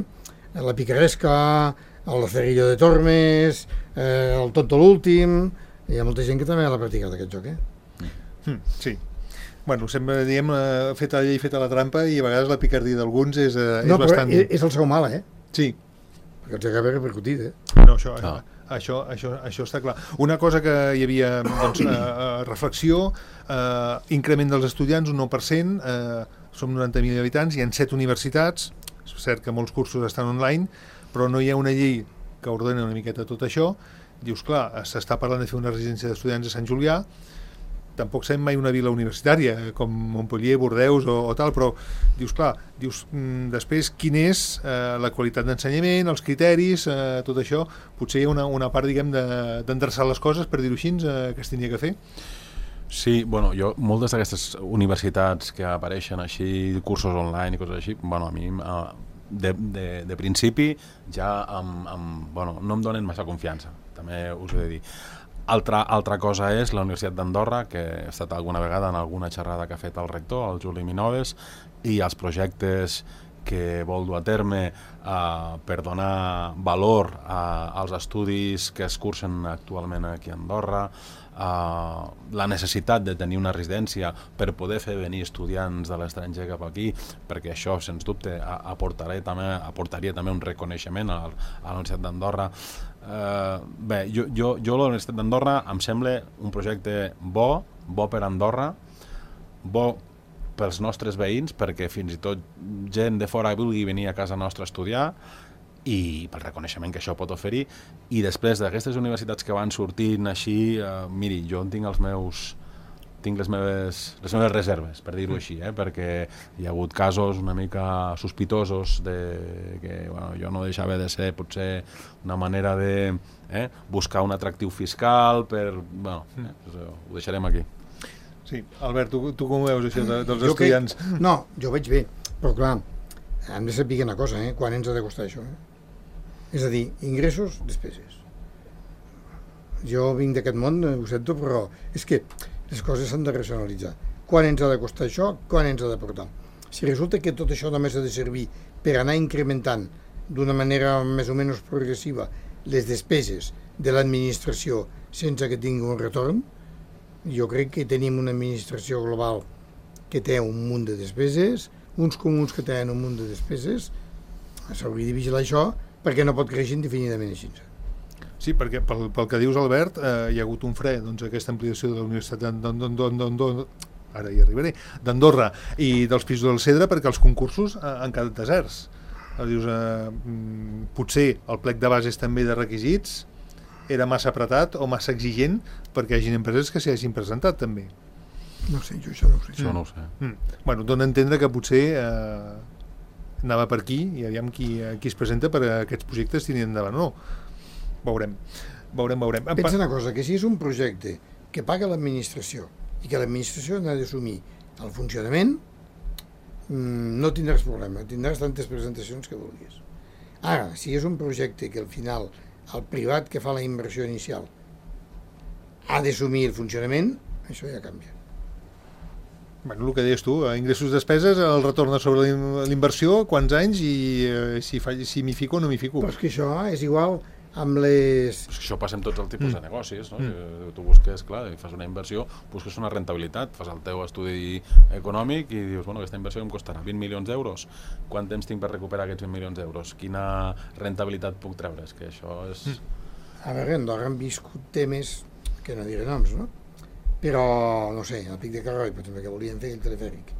Speaker 3: la Picaresca, el Cerrillo de Tormes, eh, el Tonto l'últim, hi ha molta gent que també l'ha practicat aquest joc, eh?
Speaker 2: Mm, sí. Bueno, sempre diem eh, feta la llei, feta la trampa, i a vegades la picardia d'alguns és, eh, és
Speaker 3: no,
Speaker 2: bastant...
Speaker 3: No, però és el seu mal, eh?
Speaker 2: Sí.
Speaker 3: Perquè els acaba repercutit, eh?
Speaker 2: No, això...
Speaker 4: Ah.
Speaker 2: Això, això, això està clar. Una cosa que hi havia, doncs, eh, reflexió, eh, increment dels estudiants, un nou per cent, eh, som noranta mil habitants, hi ha set universitats, és cert que molts cursos estan online, però no hi ha una llei que ordena una miqueta tot això. Dius, clar, s'està parlant de fer una residència d'estudiants a Sant Julià, tampoc sabem mai una vila universitària, com Montpellier, Bordeus o, o tal, però dius, clar, dius, mm, després, quina és eh, la qualitat d'ensenyament, els criteris, eh, tot això, potser hi ha una, una part, diguem, d'endreçar de, les coses, per dir-ho així, eh, que es tenia que fer.
Speaker 4: Sí, bueno, jo, moltes d'aquestes universitats que apareixen així, cursos online i coses així, bueno, a mi, de, de, de principi, ja amb, amb, bueno, no em donen massa confiança, també us ho he de dir. Altra, altra cosa és la Universitat d'Andorra, que he estat alguna vegada en alguna xerrada que ha fet el rector, el Juli Minoves, i els projectes que vol dur a terme eh, per donar valor a, als estudis que es cursen actualment aquí a Andorra, eh, la necessitat de tenir una residència per poder fer venir estudiants de l'estranger cap aquí, perquè això, sens dubte, aportaria també, aportaria també un reconeixement a, a la Universitat d'Andorra. Uh, bé, jo, jo, jo la Universitat d'Andorra em sembla un projecte bo, bo per Andorra, bo pels nostres veïns, perquè fins i tot gent de fora vulgui venir a casa nostra a estudiar, i pel reconeixement que això pot oferir. I després d'aquestes universitats que van sortint així, uh, miri, jo tinc els meus tinc les meves, les meves reserves, per dir-ho així, eh? Perquè hi ha hagut casos una mica sospitosos de que bueno, jo no deixava de ser potser una manera de eh, buscar un atractiu fiscal per... Bueno, eh, ho deixarem aquí.
Speaker 2: Sí, Albert, tu, tu com ho veus això de, dels
Speaker 3: jo
Speaker 2: estudiants?
Speaker 3: Que, no, jo ho veig bé, però clar, hem de saber una cosa, eh? Quan ens ha de costar això? Eh? És a dir, ingressos, despeses. Jo vinc d'aquest món, ho sento, però és que les coses s'han de racionalitzar. Quan ens ha de costar això? Quan ens ha de portar? Si resulta que tot això només ha de servir per anar incrementant d'una manera més o menys progressiva les despeses de l'administració sense que tingui un retorn, jo crec que tenim una administració global que té un munt de despeses, uns comuns que tenen un munt de despeses, s'hauria de vigilar això perquè no pot créixer indefinidament així.
Speaker 2: Sí, perquè pel, pel que dius, Albert, eh, hi ha hagut un fre, doncs, aquesta ampliació de la Universitat d'Andorra, ara hi arribaré, d'Andorra i dels pisos del Cedre, perquè els concursos eh, han quedat deserts. Dius, eh, potser el plec de bases també de requisits era massa apretat o massa exigent perquè hi hagi empreses que s'hi hagin presentat també.
Speaker 3: No sé, jo això no ho sé.
Speaker 4: Això no ho sé.
Speaker 2: Mm. Bueno, dona a entendre que potser eh, anava per aquí i aviam qui, qui es presenta per a aquests projectes tinien endavant o no. Veurem, veurem, veurem.
Speaker 3: Pensa una cosa, que si és un projecte que paga l'administració i que l'administració n'ha d'assumir el funcionament, no tindràs problema, tindràs tantes presentacions que vulguis. Ara, si és un projecte que al final el privat que fa la inversió inicial ha d'assumir el funcionament, això ja canvia.
Speaker 2: Bueno, el que deies tu, ingressos, despeses, el retorn sobre l'inversió, quants anys i eh, si, fa, si m'hi fico o no m'hi fico.
Speaker 3: Però és que això és igual amb les...
Speaker 4: Pues això passa amb tots els tipus mm. de negocis, no? Mm. Tu busques, clar, fas una inversió, busques una rentabilitat, fas el teu estudi econòmic i dius, bueno, aquesta inversió em costarà vint milions d'euros. Quant temps tinc per recuperar aquests vint milions d'euros? Quina rentabilitat puc treure? És que això és... Mm.
Speaker 3: A veure, a Andorra han viscut temes, que no diré noms, no? Però, no sé, al Pic de Carroi, per exemple, que volien fer el telefèric.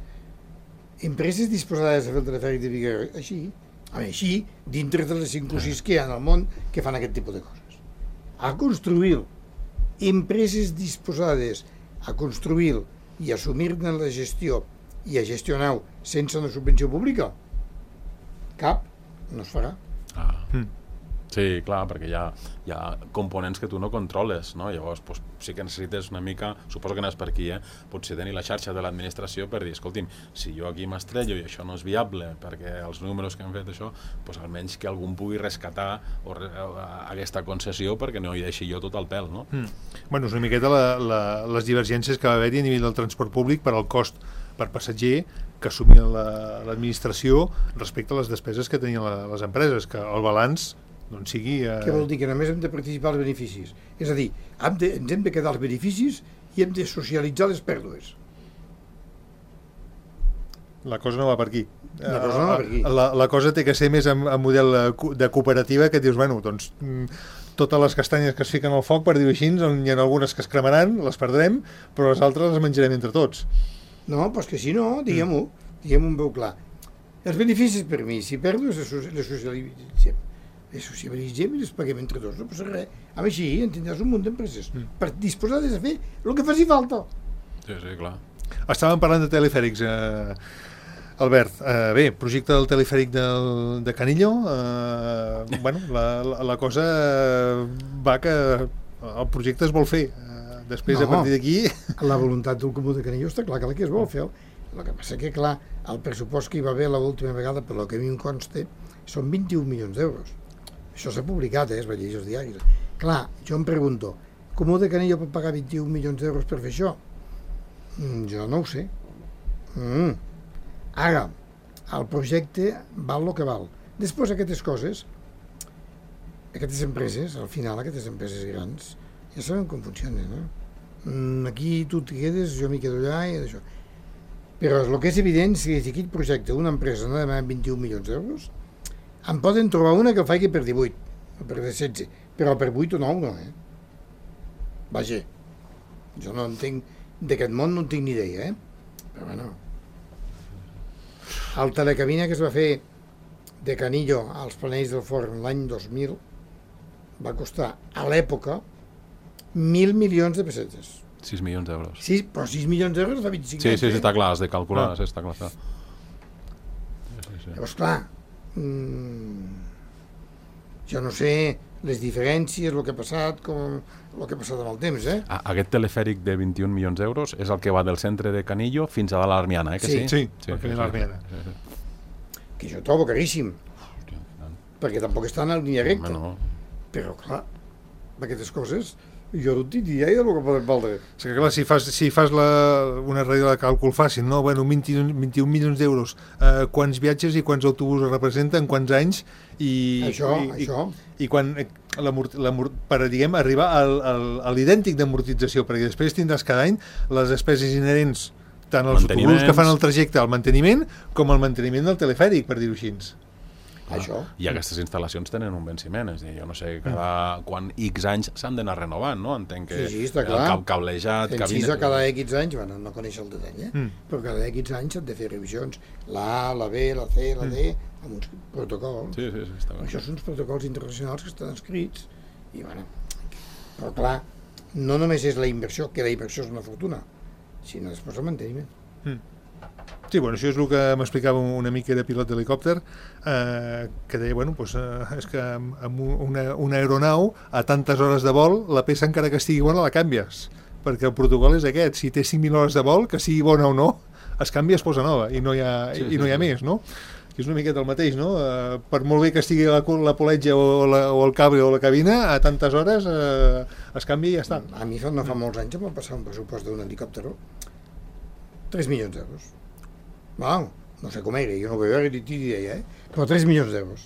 Speaker 3: Empreses disposades a fer el telefèric de Pic de Carroi, així, a veure, així, dintre de les cinc o sis que hi ha en el món que fan aquest tipus de coses. A construir empreses disposades a construir i assumir-ne la gestió i a gestionar sense una subvenció pública, cap no es farà.
Speaker 4: Ah. Mm. Sí, clar, perquè hi ha, hi ha components que tu no controles, no? Llavors, doncs, sí que necessites una mica, suposo que n'és per aquí, eh? Potser tenir la xarxa de l'administració per dir, escolti'm, si jo aquí m'estrello i això no és viable, perquè els números que han fet això, doncs almenys que algú pugui rescatar o re, aquesta concessió perquè no hi deixi jo tot el pèl, no?
Speaker 2: Mm. Bueno, és una miqueta la, la, les divergències que va haver-hi a nivell del transport públic per al cost per passatger que assumia l'administració respecte a les despeses que tenien la, les empreses, que el balanç doncs sigui... Eh...
Speaker 3: Què vol dir? Que només hem de participar als beneficis. És a dir, hem de, ens hem de quedar als beneficis i hem de socialitzar les pèrdues.
Speaker 2: La cosa no va per aquí.
Speaker 3: La cosa no va per aquí.
Speaker 2: La, la cosa té que ser més en, en model de cooperativa, que dius, bueno, doncs totes les castanyes que es fiquen al foc, per dir-ho així, hi ha algunes que es cremaran, les perdrem, però les altres les menjarem entre tots.
Speaker 3: No, doncs que si no, diguem-ho, diguem-ho en veu clar. Els beneficis per mi, si perdo, les socialitzem. Les socialitzem i les paguem entre tots, no passa res. Amb així en tindràs un munt d'empreses mm. per disposades a fer el que faci falta.
Speaker 4: Sí, sí, clar.
Speaker 2: Estàvem parlant de telefèrics, eh, Albert. Eh, bé, projecte del telefèric del, de Canillo, eh, bueno, la, la, la cosa va que el projecte es vol fer. Eh, després, no, a partir d'aquí...
Speaker 3: La voluntat del Comú de Canillo està clar que la que es vol fer. El que passa que, clar, el pressupost que hi va haver l'última vegada, per lo que a mi em consta, són vint-i-un milions d'euros. Això s'ha publicat, eh? Es va llegir als diaris. Clar, jo em pregunto, Comú de Canillo pot pagar vint-i-un milions d'euros per fer això? Mm, jo no ho sé. Mm. Ara, el projecte val el que val. Després aquestes coses, aquestes empreses, al final aquestes empreses grans, ja sabem com funcionen, no? Mm, aquí tu t'hi quedes, jo m'hi quedo allà i això. Però el que és evident és que si aquest projecte una empresa no demana vint-i-un milions d'euros, en poden trobar una que el faci per divuit, o per setze, però per vuit o nou no, eh? Vaja, jo no entenc, d'aquest món no en tinc ni idea, eh? Però bueno, el telecabina que es va fer de Canillo als Planells del Forn l'any dos mil va costar a l'època mil milions de pessetes.
Speaker 4: sis milions d'euros.
Speaker 3: Sí, però sis milions d'euros fa vint-i-cinc
Speaker 4: sí,
Speaker 3: anys.
Speaker 4: Sí, sí,
Speaker 3: eh?
Speaker 4: està clar, has de calcular, ah. sí, està clar. Està.
Speaker 3: Sí, sí. Llavors, clar, mm, jo no sé les diferències, el que ha passat, com el que ha passat amb el temps, eh?
Speaker 4: Ah, aquest telefèric de vint-i-un milions d'euros és el que va del centre de Canillo fins a l'Armiana, eh? Que sí,
Speaker 2: sí,
Speaker 4: sí,
Speaker 2: sí, sí, l'Armiana.
Speaker 4: Sí, sí.
Speaker 3: Que jo trobo caríssim. Hòstia, perquè tampoc està en línia recta.
Speaker 4: No.
Speaker 3: Però, clar, aquestes coses... Jo no tinc idea del que poden valdre.
Speaker 2: És que clar, si fas, si fas la, una regla de càlcul fàcil, no? Bueno, vint-i-un milions d'euros, eh, quants viatges i quants autobusos representen, quants anys, i...
Speaker 3: Això,
Speaker 2: i,
Speaker 3: això.
Speaker 2: I, i quan, la, la, per, diguem, arribar al, al, a l'idèntic d'amortització, perquè després tindràs cada any les despeses inherents, tant als autobusos que fan el trajecte al manteniment, com al manteniment del telefèric, per dir-ho així.
Speaker 3: Això.
Speaker 4: I aquestes instal·lacions tenen un venciment, és a dir, jo no sé, cada, quan X anys s'han d'anar renovant, no? Entenc que
Speaker 3: sí, sí, està clar.
Speaker 4: el cablejat...
Speaker 3: En
Speaker 4: cabina...
Speaker 3: sis cada X anys, bueno, no coneix el detall, eh? Mm. Però cada X anys s'han de fer revisions, la A, la B, la C, la D, mm. amb uns protocols.
Speaker 4: Sí, sí, sí, està bé.
Speaker 3: Això són uns protocols internacionals que estan escrits, i bueno, però clar, no només és la inversió, que la inversió és una fortuna, sinó després el manteniment.
Speaker 2: Mm. Sí, bueno, això és el que m'explicava un amic que era pilot d'helicòpter, eh, que deia, bueno, pues, eh, és que amb una, una aeronau a tantes hores de vol, la peça encara que estigui bona la canvies, perquè el protocol és aquest, si té cinc mil hores de vol, que sigui bona o no, es canvia, es posa nova, i no hi ha, sí, i no hi ha sí, més, no? Que és una miqueta el mateix, no? Eh, per molt bé que estigui la, la poletja o, la, o el cable o la cabina, a tantes hores eh, es canvia i ja està.
Speaker 3: A mi no fa molts anys em va passar un pressupost d'un helicòpter, tres milions d'euros. Wow, no sé com era, jo no ho vaig veure ni idea, eh? Però tres milions d'euros.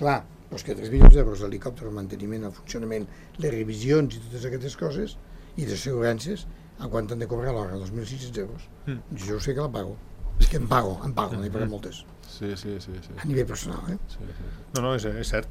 Speaker 3: Clar, Però és que tres milions d'euros d'helicòpter, el manteniment, el funcionament, les revisions i totes aquestes coses, i les assegurances, en quant han de cobrar a l'hora? dos mil sis-cents euros. Mm. Jo sé que la pago. És que em pago, em pago, n'he pagat moltes.
Speaker 4: Sí, sí, sí, sí.
Speaker 3: A nivell personal, eh?
Speaker 4: Sí, sí, sí.
Speaker 2: No, no, és, és cert.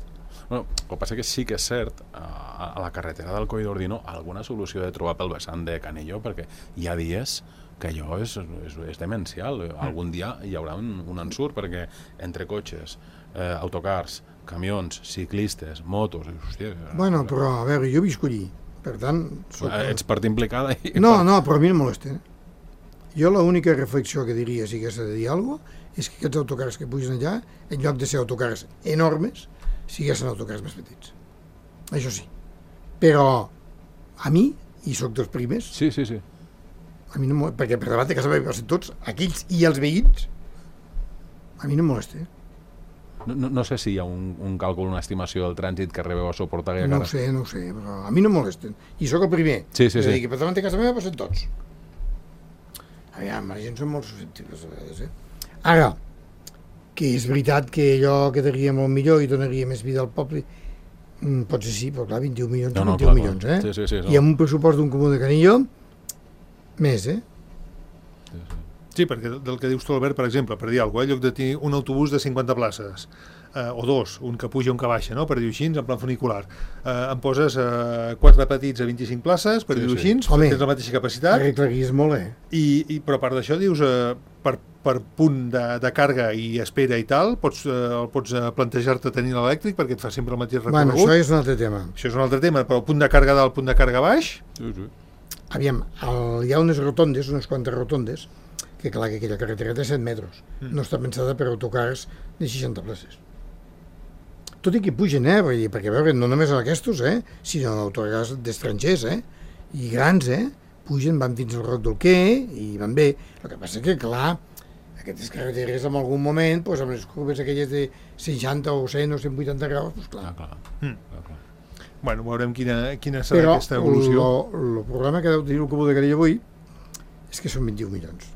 Speaker 4: Bueno, el que passa que sí que és cert, a, a la carretera del Coll d'Ordino alguna solució de trobar pel vessant de Canillo, perquè hi ha dies que allò és, és, és demencial. Algun dia hi haurà un, un ensurt, perquè entre cotxes, eh, autocars, camions, ciclistes, motos... Hòstia,
Speaker 3: bueno, però, a veure, jo visc allí, per tant... Soc...
Speaker 4: Ets part implicada? I...
Speaker 3: No, no, però a mi no molesta. Jo l'única reflexió que diria, si hagués de dir alguna cosa, és que aquests autocars que pugen allà, en lloc de ser autocars enormes, siguessin autocars més petits. Això sí. Però a mi, i sóc dels primers,
Speaker 4: sí, sí, sí.
Speaker 3: A mi no, perquè per davant de casa meva passen tots, aquells i els veïns, a mi no em molesta.
Speaker 4: No, no, no sé si hi ha un, un càlcul, una estimació del trànsit que rebeu a suportar aquella
Speaker 3: no
Speaker 4: cara.
Speaker 3: No ho sé, no ho sé, però a mi no em molesten. I sóc el primer.
Speaker 4: Sí, sí, sí.
Speaker 3: Que per davant de casa meva passen tots. Aviam, la gent són molt susceptibles a vegades, eh? Ara, que és veritat que allò quedaria molt millor i donaria més vida al poble, potser sí, però clar, vint i un milions, no, no, vint i un clar, milions, eh?
Speaker 4: Sí, sí, sí, no.
Speaker 3: I amb un pressupost d'un comú de Canillo, més, eh?
Speaker 2: Sí, sí. Sí, perquè del que dius tu, Albert, per exemple, per dir alguna cosa, en lloc de tenir un autobús de cinquanta places, eh, o dos, un que puja i un que baixa, no? Per dir-ho així, en plan funicular, eh, em poses eh, quatre petits a vint-i-cinc places, per sí, dir-ho sí. així, Home, tens la mateixa capacitat.
Speaker 3: Arreglaries molt, eh?
Speaker 2: I, i, però a part d'això, dius, eh, per, per punt de, de càrrega i espera i tal, pots, eh, el pots plantejar-te tenir l'elèctric perquè et fa sempre el mateix recorregut.
Speaker 3: Bueno, això és un altre tema.
Speaker 2: Això és un altre tema, però el punt de càrrega dalt, el punt de càrrega baix...
Speaker 4: Sí, sí.
Speaker 3: Aviam, el, hi ha unes rotondes, unes quantes rotondes, que clar, que aquella carretera té set metres. Mm. No està pensada per autocars de seixanta places. Tot i que pugen, eh? Vull dir, perquè a veure, no només aquests, eh? Sinó autocars d'estrangers, eh? I grans, eh? Pugen, van fins al Roc del Quer i van bé. El que passa que, clar, aquestes carreteres en algun moment, doncs, amb les curves aquelles de seixanta o cent o cent vuitanta graus, doncs clar.
Speaker 4: Ah, clar.
Speaker 2: Mm. clar, clar. Bueno, veurem quina, quina serà
Speaker 3: Però
Speaker 2: aquesta evolució.
Speaker 3: Però el problema que deu tenir el Comú de Canillo avui és que són vint i un milions.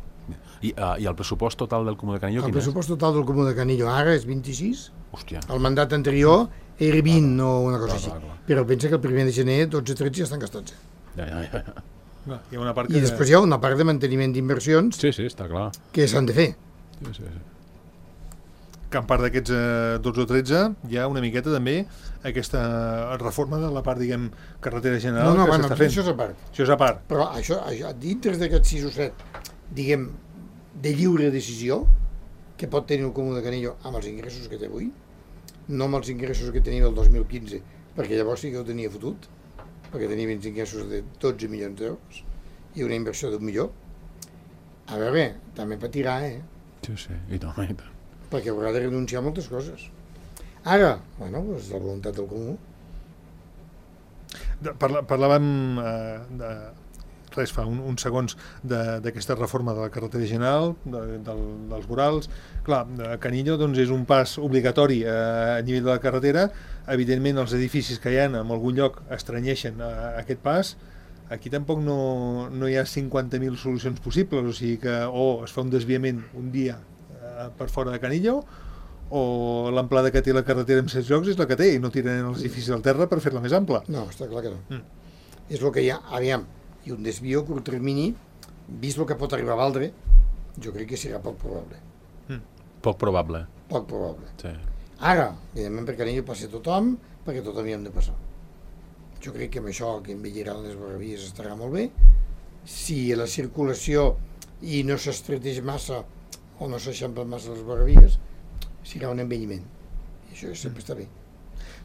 Speaker 4: I, uh, I el pressupost total del Comú de Canillo,
Speaker 3: el
Speaker 4: quin és?
Speaker 3: El pressupost total del Comú de Canillo ara és vint-i-sis.
Speaker 4: Hòstia.
Speaker 3: El mandat anterior era vint o una cosa
Speaker 4: clar,
Speaker 3: així.
Speaker 4: clar, clar.
Speaker 3: Però pensa que el primer de gener dotze tretze ja estan gastats.
Speaker 4: Ja, ja, ja.
Speaker 2: Clar, hi ha una part
Speaker 3: I
Speaker 2: que...
Speaker 3: després hi ha una part de manteniment d'inversions
Speaker 4: Sí, sí, està clar.
Speaker 3: que s'han de fer.
Speaker 4: Sí, sí, sí.
Speaker 2: Que en part d'aquests eh, dotze o tretze hi ha una miqueta també aquesta reforma de la part, diguem, carretera general
Speaker 3: No, no,
Speaker 2: que
Speaker 3: bueno,
Speaker 2: s'està fent.
Speaker 3: això és a part.
Speaker 2: Això és a part.
Speaker 3: Però això, això dintre d'aquests sis o set, diguem, de lliure decisió que pot tenir el Comú de Canillo amb els ingressos que té avui, no amb els ingressos que tenia el dos mil quinze, perquè llavors sí que ho tenia fotut, perquè tenia uns ingressos de dotze milions d'euros i una inversió d'un milió. A veure, també patirà, eh?
Speaker 4: Sí, sí, i tant, i tant.
Speaker 3: Perquè haurà de renunciar a moltes coses. Ara, bueno, és la voluntat del comú.
Speaker 2: De, parla, parlàvem eh, de, res, fa un, uns segons d'aquesta reforma de la carretera general, de, del, dels vorals. Clar, Canillo doncs, és un pas obligatori eh, a nivell de la carretera. Evidentment, els edificis que hi ha en algun lloc estranyeixen eh, aquest pas. Aquí tampoc no, no hi ha cinquanta mil solucions possibles, o sigui que o es fa un desviament un dia eh, per fora de Canillo, o l'amplada que té la carretera en set jocs és la que té, i no tiren els edificis al terra per fer-la més ampla.
Speaker 3: No, està clar que no.
Speaker 2: Mm.
Speaker 3: És el que hi ha, aviam, i un desvió a curt termini, vist el que pot arribar a valdre, jo crec que serà poc probable.
Speaker 2: Mm.
Speaker 4: Poc probable.
Speaker 3: Poc probable.
Speaker 4: Sí.
Speaker 3: Ara, evidentment per Canillo passa tothom, perquè tothom hi hem de passar. Jo crec que amb això que envelliran les barravies estarà molt bé. Si la circulació i no s'estreteix massa o no s'eixamplen massa les barravies, serà un envelliment. I això sempre està bé.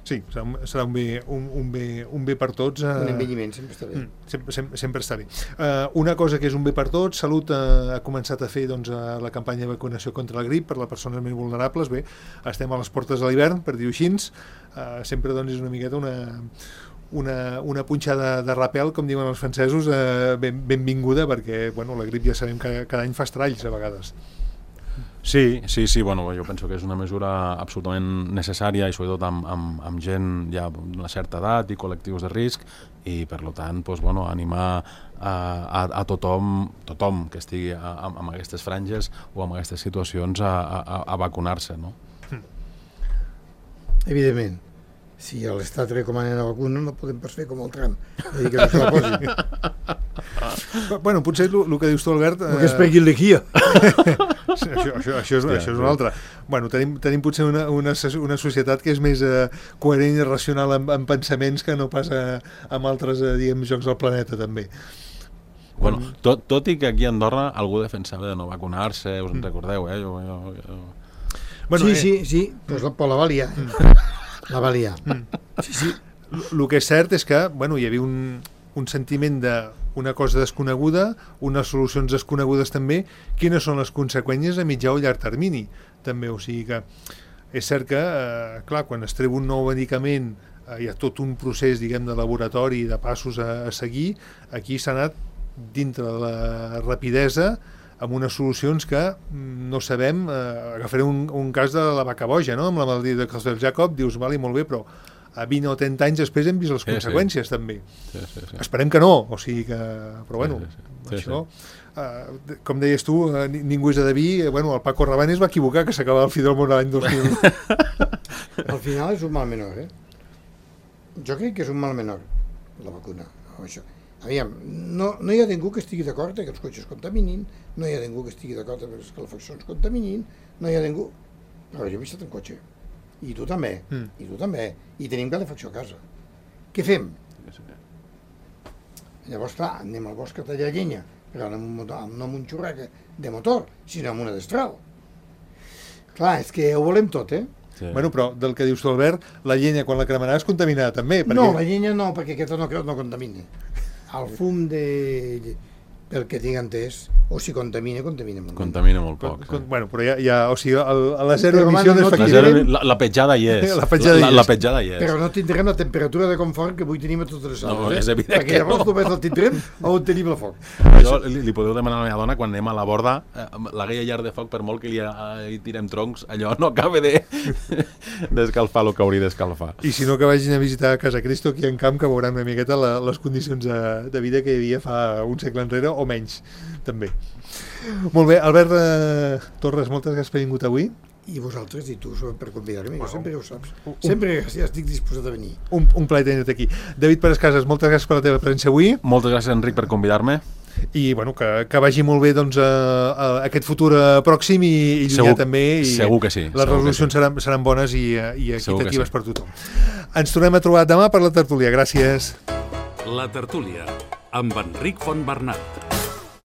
Speaker 2: Sí, serà un, serà un, bé, un, un, bé, un bé per tots. Eh...
Speaker 3: Un envelliment sempre està bé.
Speaker 2: Mm, sempre, sempre, sempre està bé. Uh, una cosa que és un bé per tots, Salut uh, ha començat a fer doncs, uh, la campanya de vacunació contra la grip per les persones més vulnerables. Bé, estem a les portes de l'hivern, per dir-ho així. Uh, sempre doncs, és una miqueta una... Una, una punxada de rapel, com diuen els francesos, eh, ben, benvinguda, perquè bueno, la grip ja sabem que cada any fa estralls a vegades.
Speaker 4: Sí, sí, sí, bueno, jo penso que és una mesura absolutament necessària i sobretot amb, amb, amb gent ja d'una certa edat i col·lectius de risc i per tant doncs, bueno, animar a, a, a tothom, tothom que estigui a, a, amb aquestes franges o amb aquestes situacions a, a, a vacunar-se, no?
Speaker 3: Evidentment. si l'Estat recomana la vacuna no podem pas fer com el Trump, és dir, que no se la posin.
Speaker 2: Bueno, potser el que dius tu, Albert...
Speaker 3: El que es pegui el liquia.
Speaker 2: això, això, això, és,
Speaker 4: Hòstia,
Speaker 2: això és una altra. Bueno, tenim, tenim potser una, una, una societat que és més eh, coherent i racional en, en pensaments que no passa amb altres, eh, diguem, jocs del planeta, també.
Speaker 4: Bueno, tot, tot i que aquí a Andorra algú defensava de no vacunar-se, us en recordeu, eh? Jo, jo, jo...
Speaker 3: Bueno, sí, eh... sí, sí, pues la, la va liar. La va liar. Sí, sí.
Speaker 2: El que és cert és que, bueno, hi havia un, un sentiment de una cosa desconeguda, unes solucions desconegudes també, quines són les conseqüències a mitjà o llarg termini, també, o sigui que és cert que, eh, clar, quan es treu un nou medicament eh, hi ha tot un procés, diguem, de laboratori, de passos a, a seguir, aquí s'ha anat dintre de la rapidesa amb unes solucions que no sabem, eh, agafaré un, un cas de la vaca boja, no?, amb la malaltia de Creutzfeldt-Jakob, dius, vale, molt bé, però a vint o trenta anys després hem vist les sí, conseqüències, sí. també.
Speaker 4: Sí, sí, sí.
Speaker 2: Esperem que no, o sigui que... Però bueno, sí, sí, sí. això... Sí. Uh, com deies tu, uh, ningú és adiví, uh, bueno, el Paco Rabanne es va equivocar, que s'acabava el Fidel Món l'any dos mil.
Speaker 3: Al final és un mal menor, eh? Jo crec que és un mal menor, la vacuna. No, això. Aviam, no, no hi ha ningú que estigui d'acord que els cotxes contaminin, no hi ha ningú que estigui d'acord que les calefaccions contaminin, no hi ha ningú... Però jo he vist en cotxe. I tu també, mm. i tu també, i tenim calefacció a casa. Què fem? Llavors, clar, anem al bosc a tallar llenya, però no amb un, no amb un xurrac de motor, sinó amb una destral. Clar, és que ho volem tot, eh?
Speaker 2: Sí. Bueno, però del que dius tu, Albert, la llenya quan la cremaràs contaminada també. Perquè...
Speaker 3: No, la llenya no, perquè aquesta no, no contamina. El fum de... pel que tinc entès, o si contamina, contamina molt.
Speaker 4: Contamina molt poc.
Speaker 2: Con, con, sí. Bueno, però ja, ja o sigui, el, la zero emissió
Speaker 3: no
Speaker 2: és
Speaker 4: factible. La, la petjada hi és.
Speaker 2: La petjada,
Speaker 4: la,
Speaker 2: hi és.
Speaker 4: la petjada hi és.
Speaker 3: Però no tindrem la temperatura de confort que avui tenim a totes les hores.
Speaker 4: No,
Speaker 3: eh?
Speaker 4: és evident
Speaker 3: perquè
Speaker 4: que
Speaker 3: llavors
Speaker 4: no.
Speaker 3: només el tindrem on tenim el foc.
Speaker 4: Això li, li podeu demanar a la meva dona quan anem a la borda, eh, la guia llar de foc, per molt que li, li tirem troncs, allò no acaba de d'escalfar el que hauria d'escalfar.
Speaker 2: I si no, que vagin a visitar a Casa Cristo aquí en camp, que veuran una miqueta la, les condicions de, de vida que hi havia fa un segle enrere o menys, també. Molt bé, Albert eh, Torres, moltes gràcies per haver vingut avui.
Speaker 3: I vosaltres i tu per convidar-me, jo sempre ho saps. Sempre ja estic disposat a venir.
Speaker 2: Un, un plaer tenir-te aquí. David Pérez Casas, moltes gràcies per la teva presència avui.
Speaker 4: Moltes gràcies, Enric, per convidar-me.
Speaker 2: I bueno, que, que vagi molt bé doncs, a, a aquest futur pròxim i, i llunyà
Speaker 4: segur,
Speaker 2: també. I
Speaker 4: segur que sí.
Speaker 2: Les resolucions sí. seran, seran bones i, i equitatives
Speaker 4: sí.
Speaker 2: per tothom. Ens tornem a trobar demà per la tertúlia. Gràcies.
Speaker 1: La tertúlia amb Enric Fontbernat.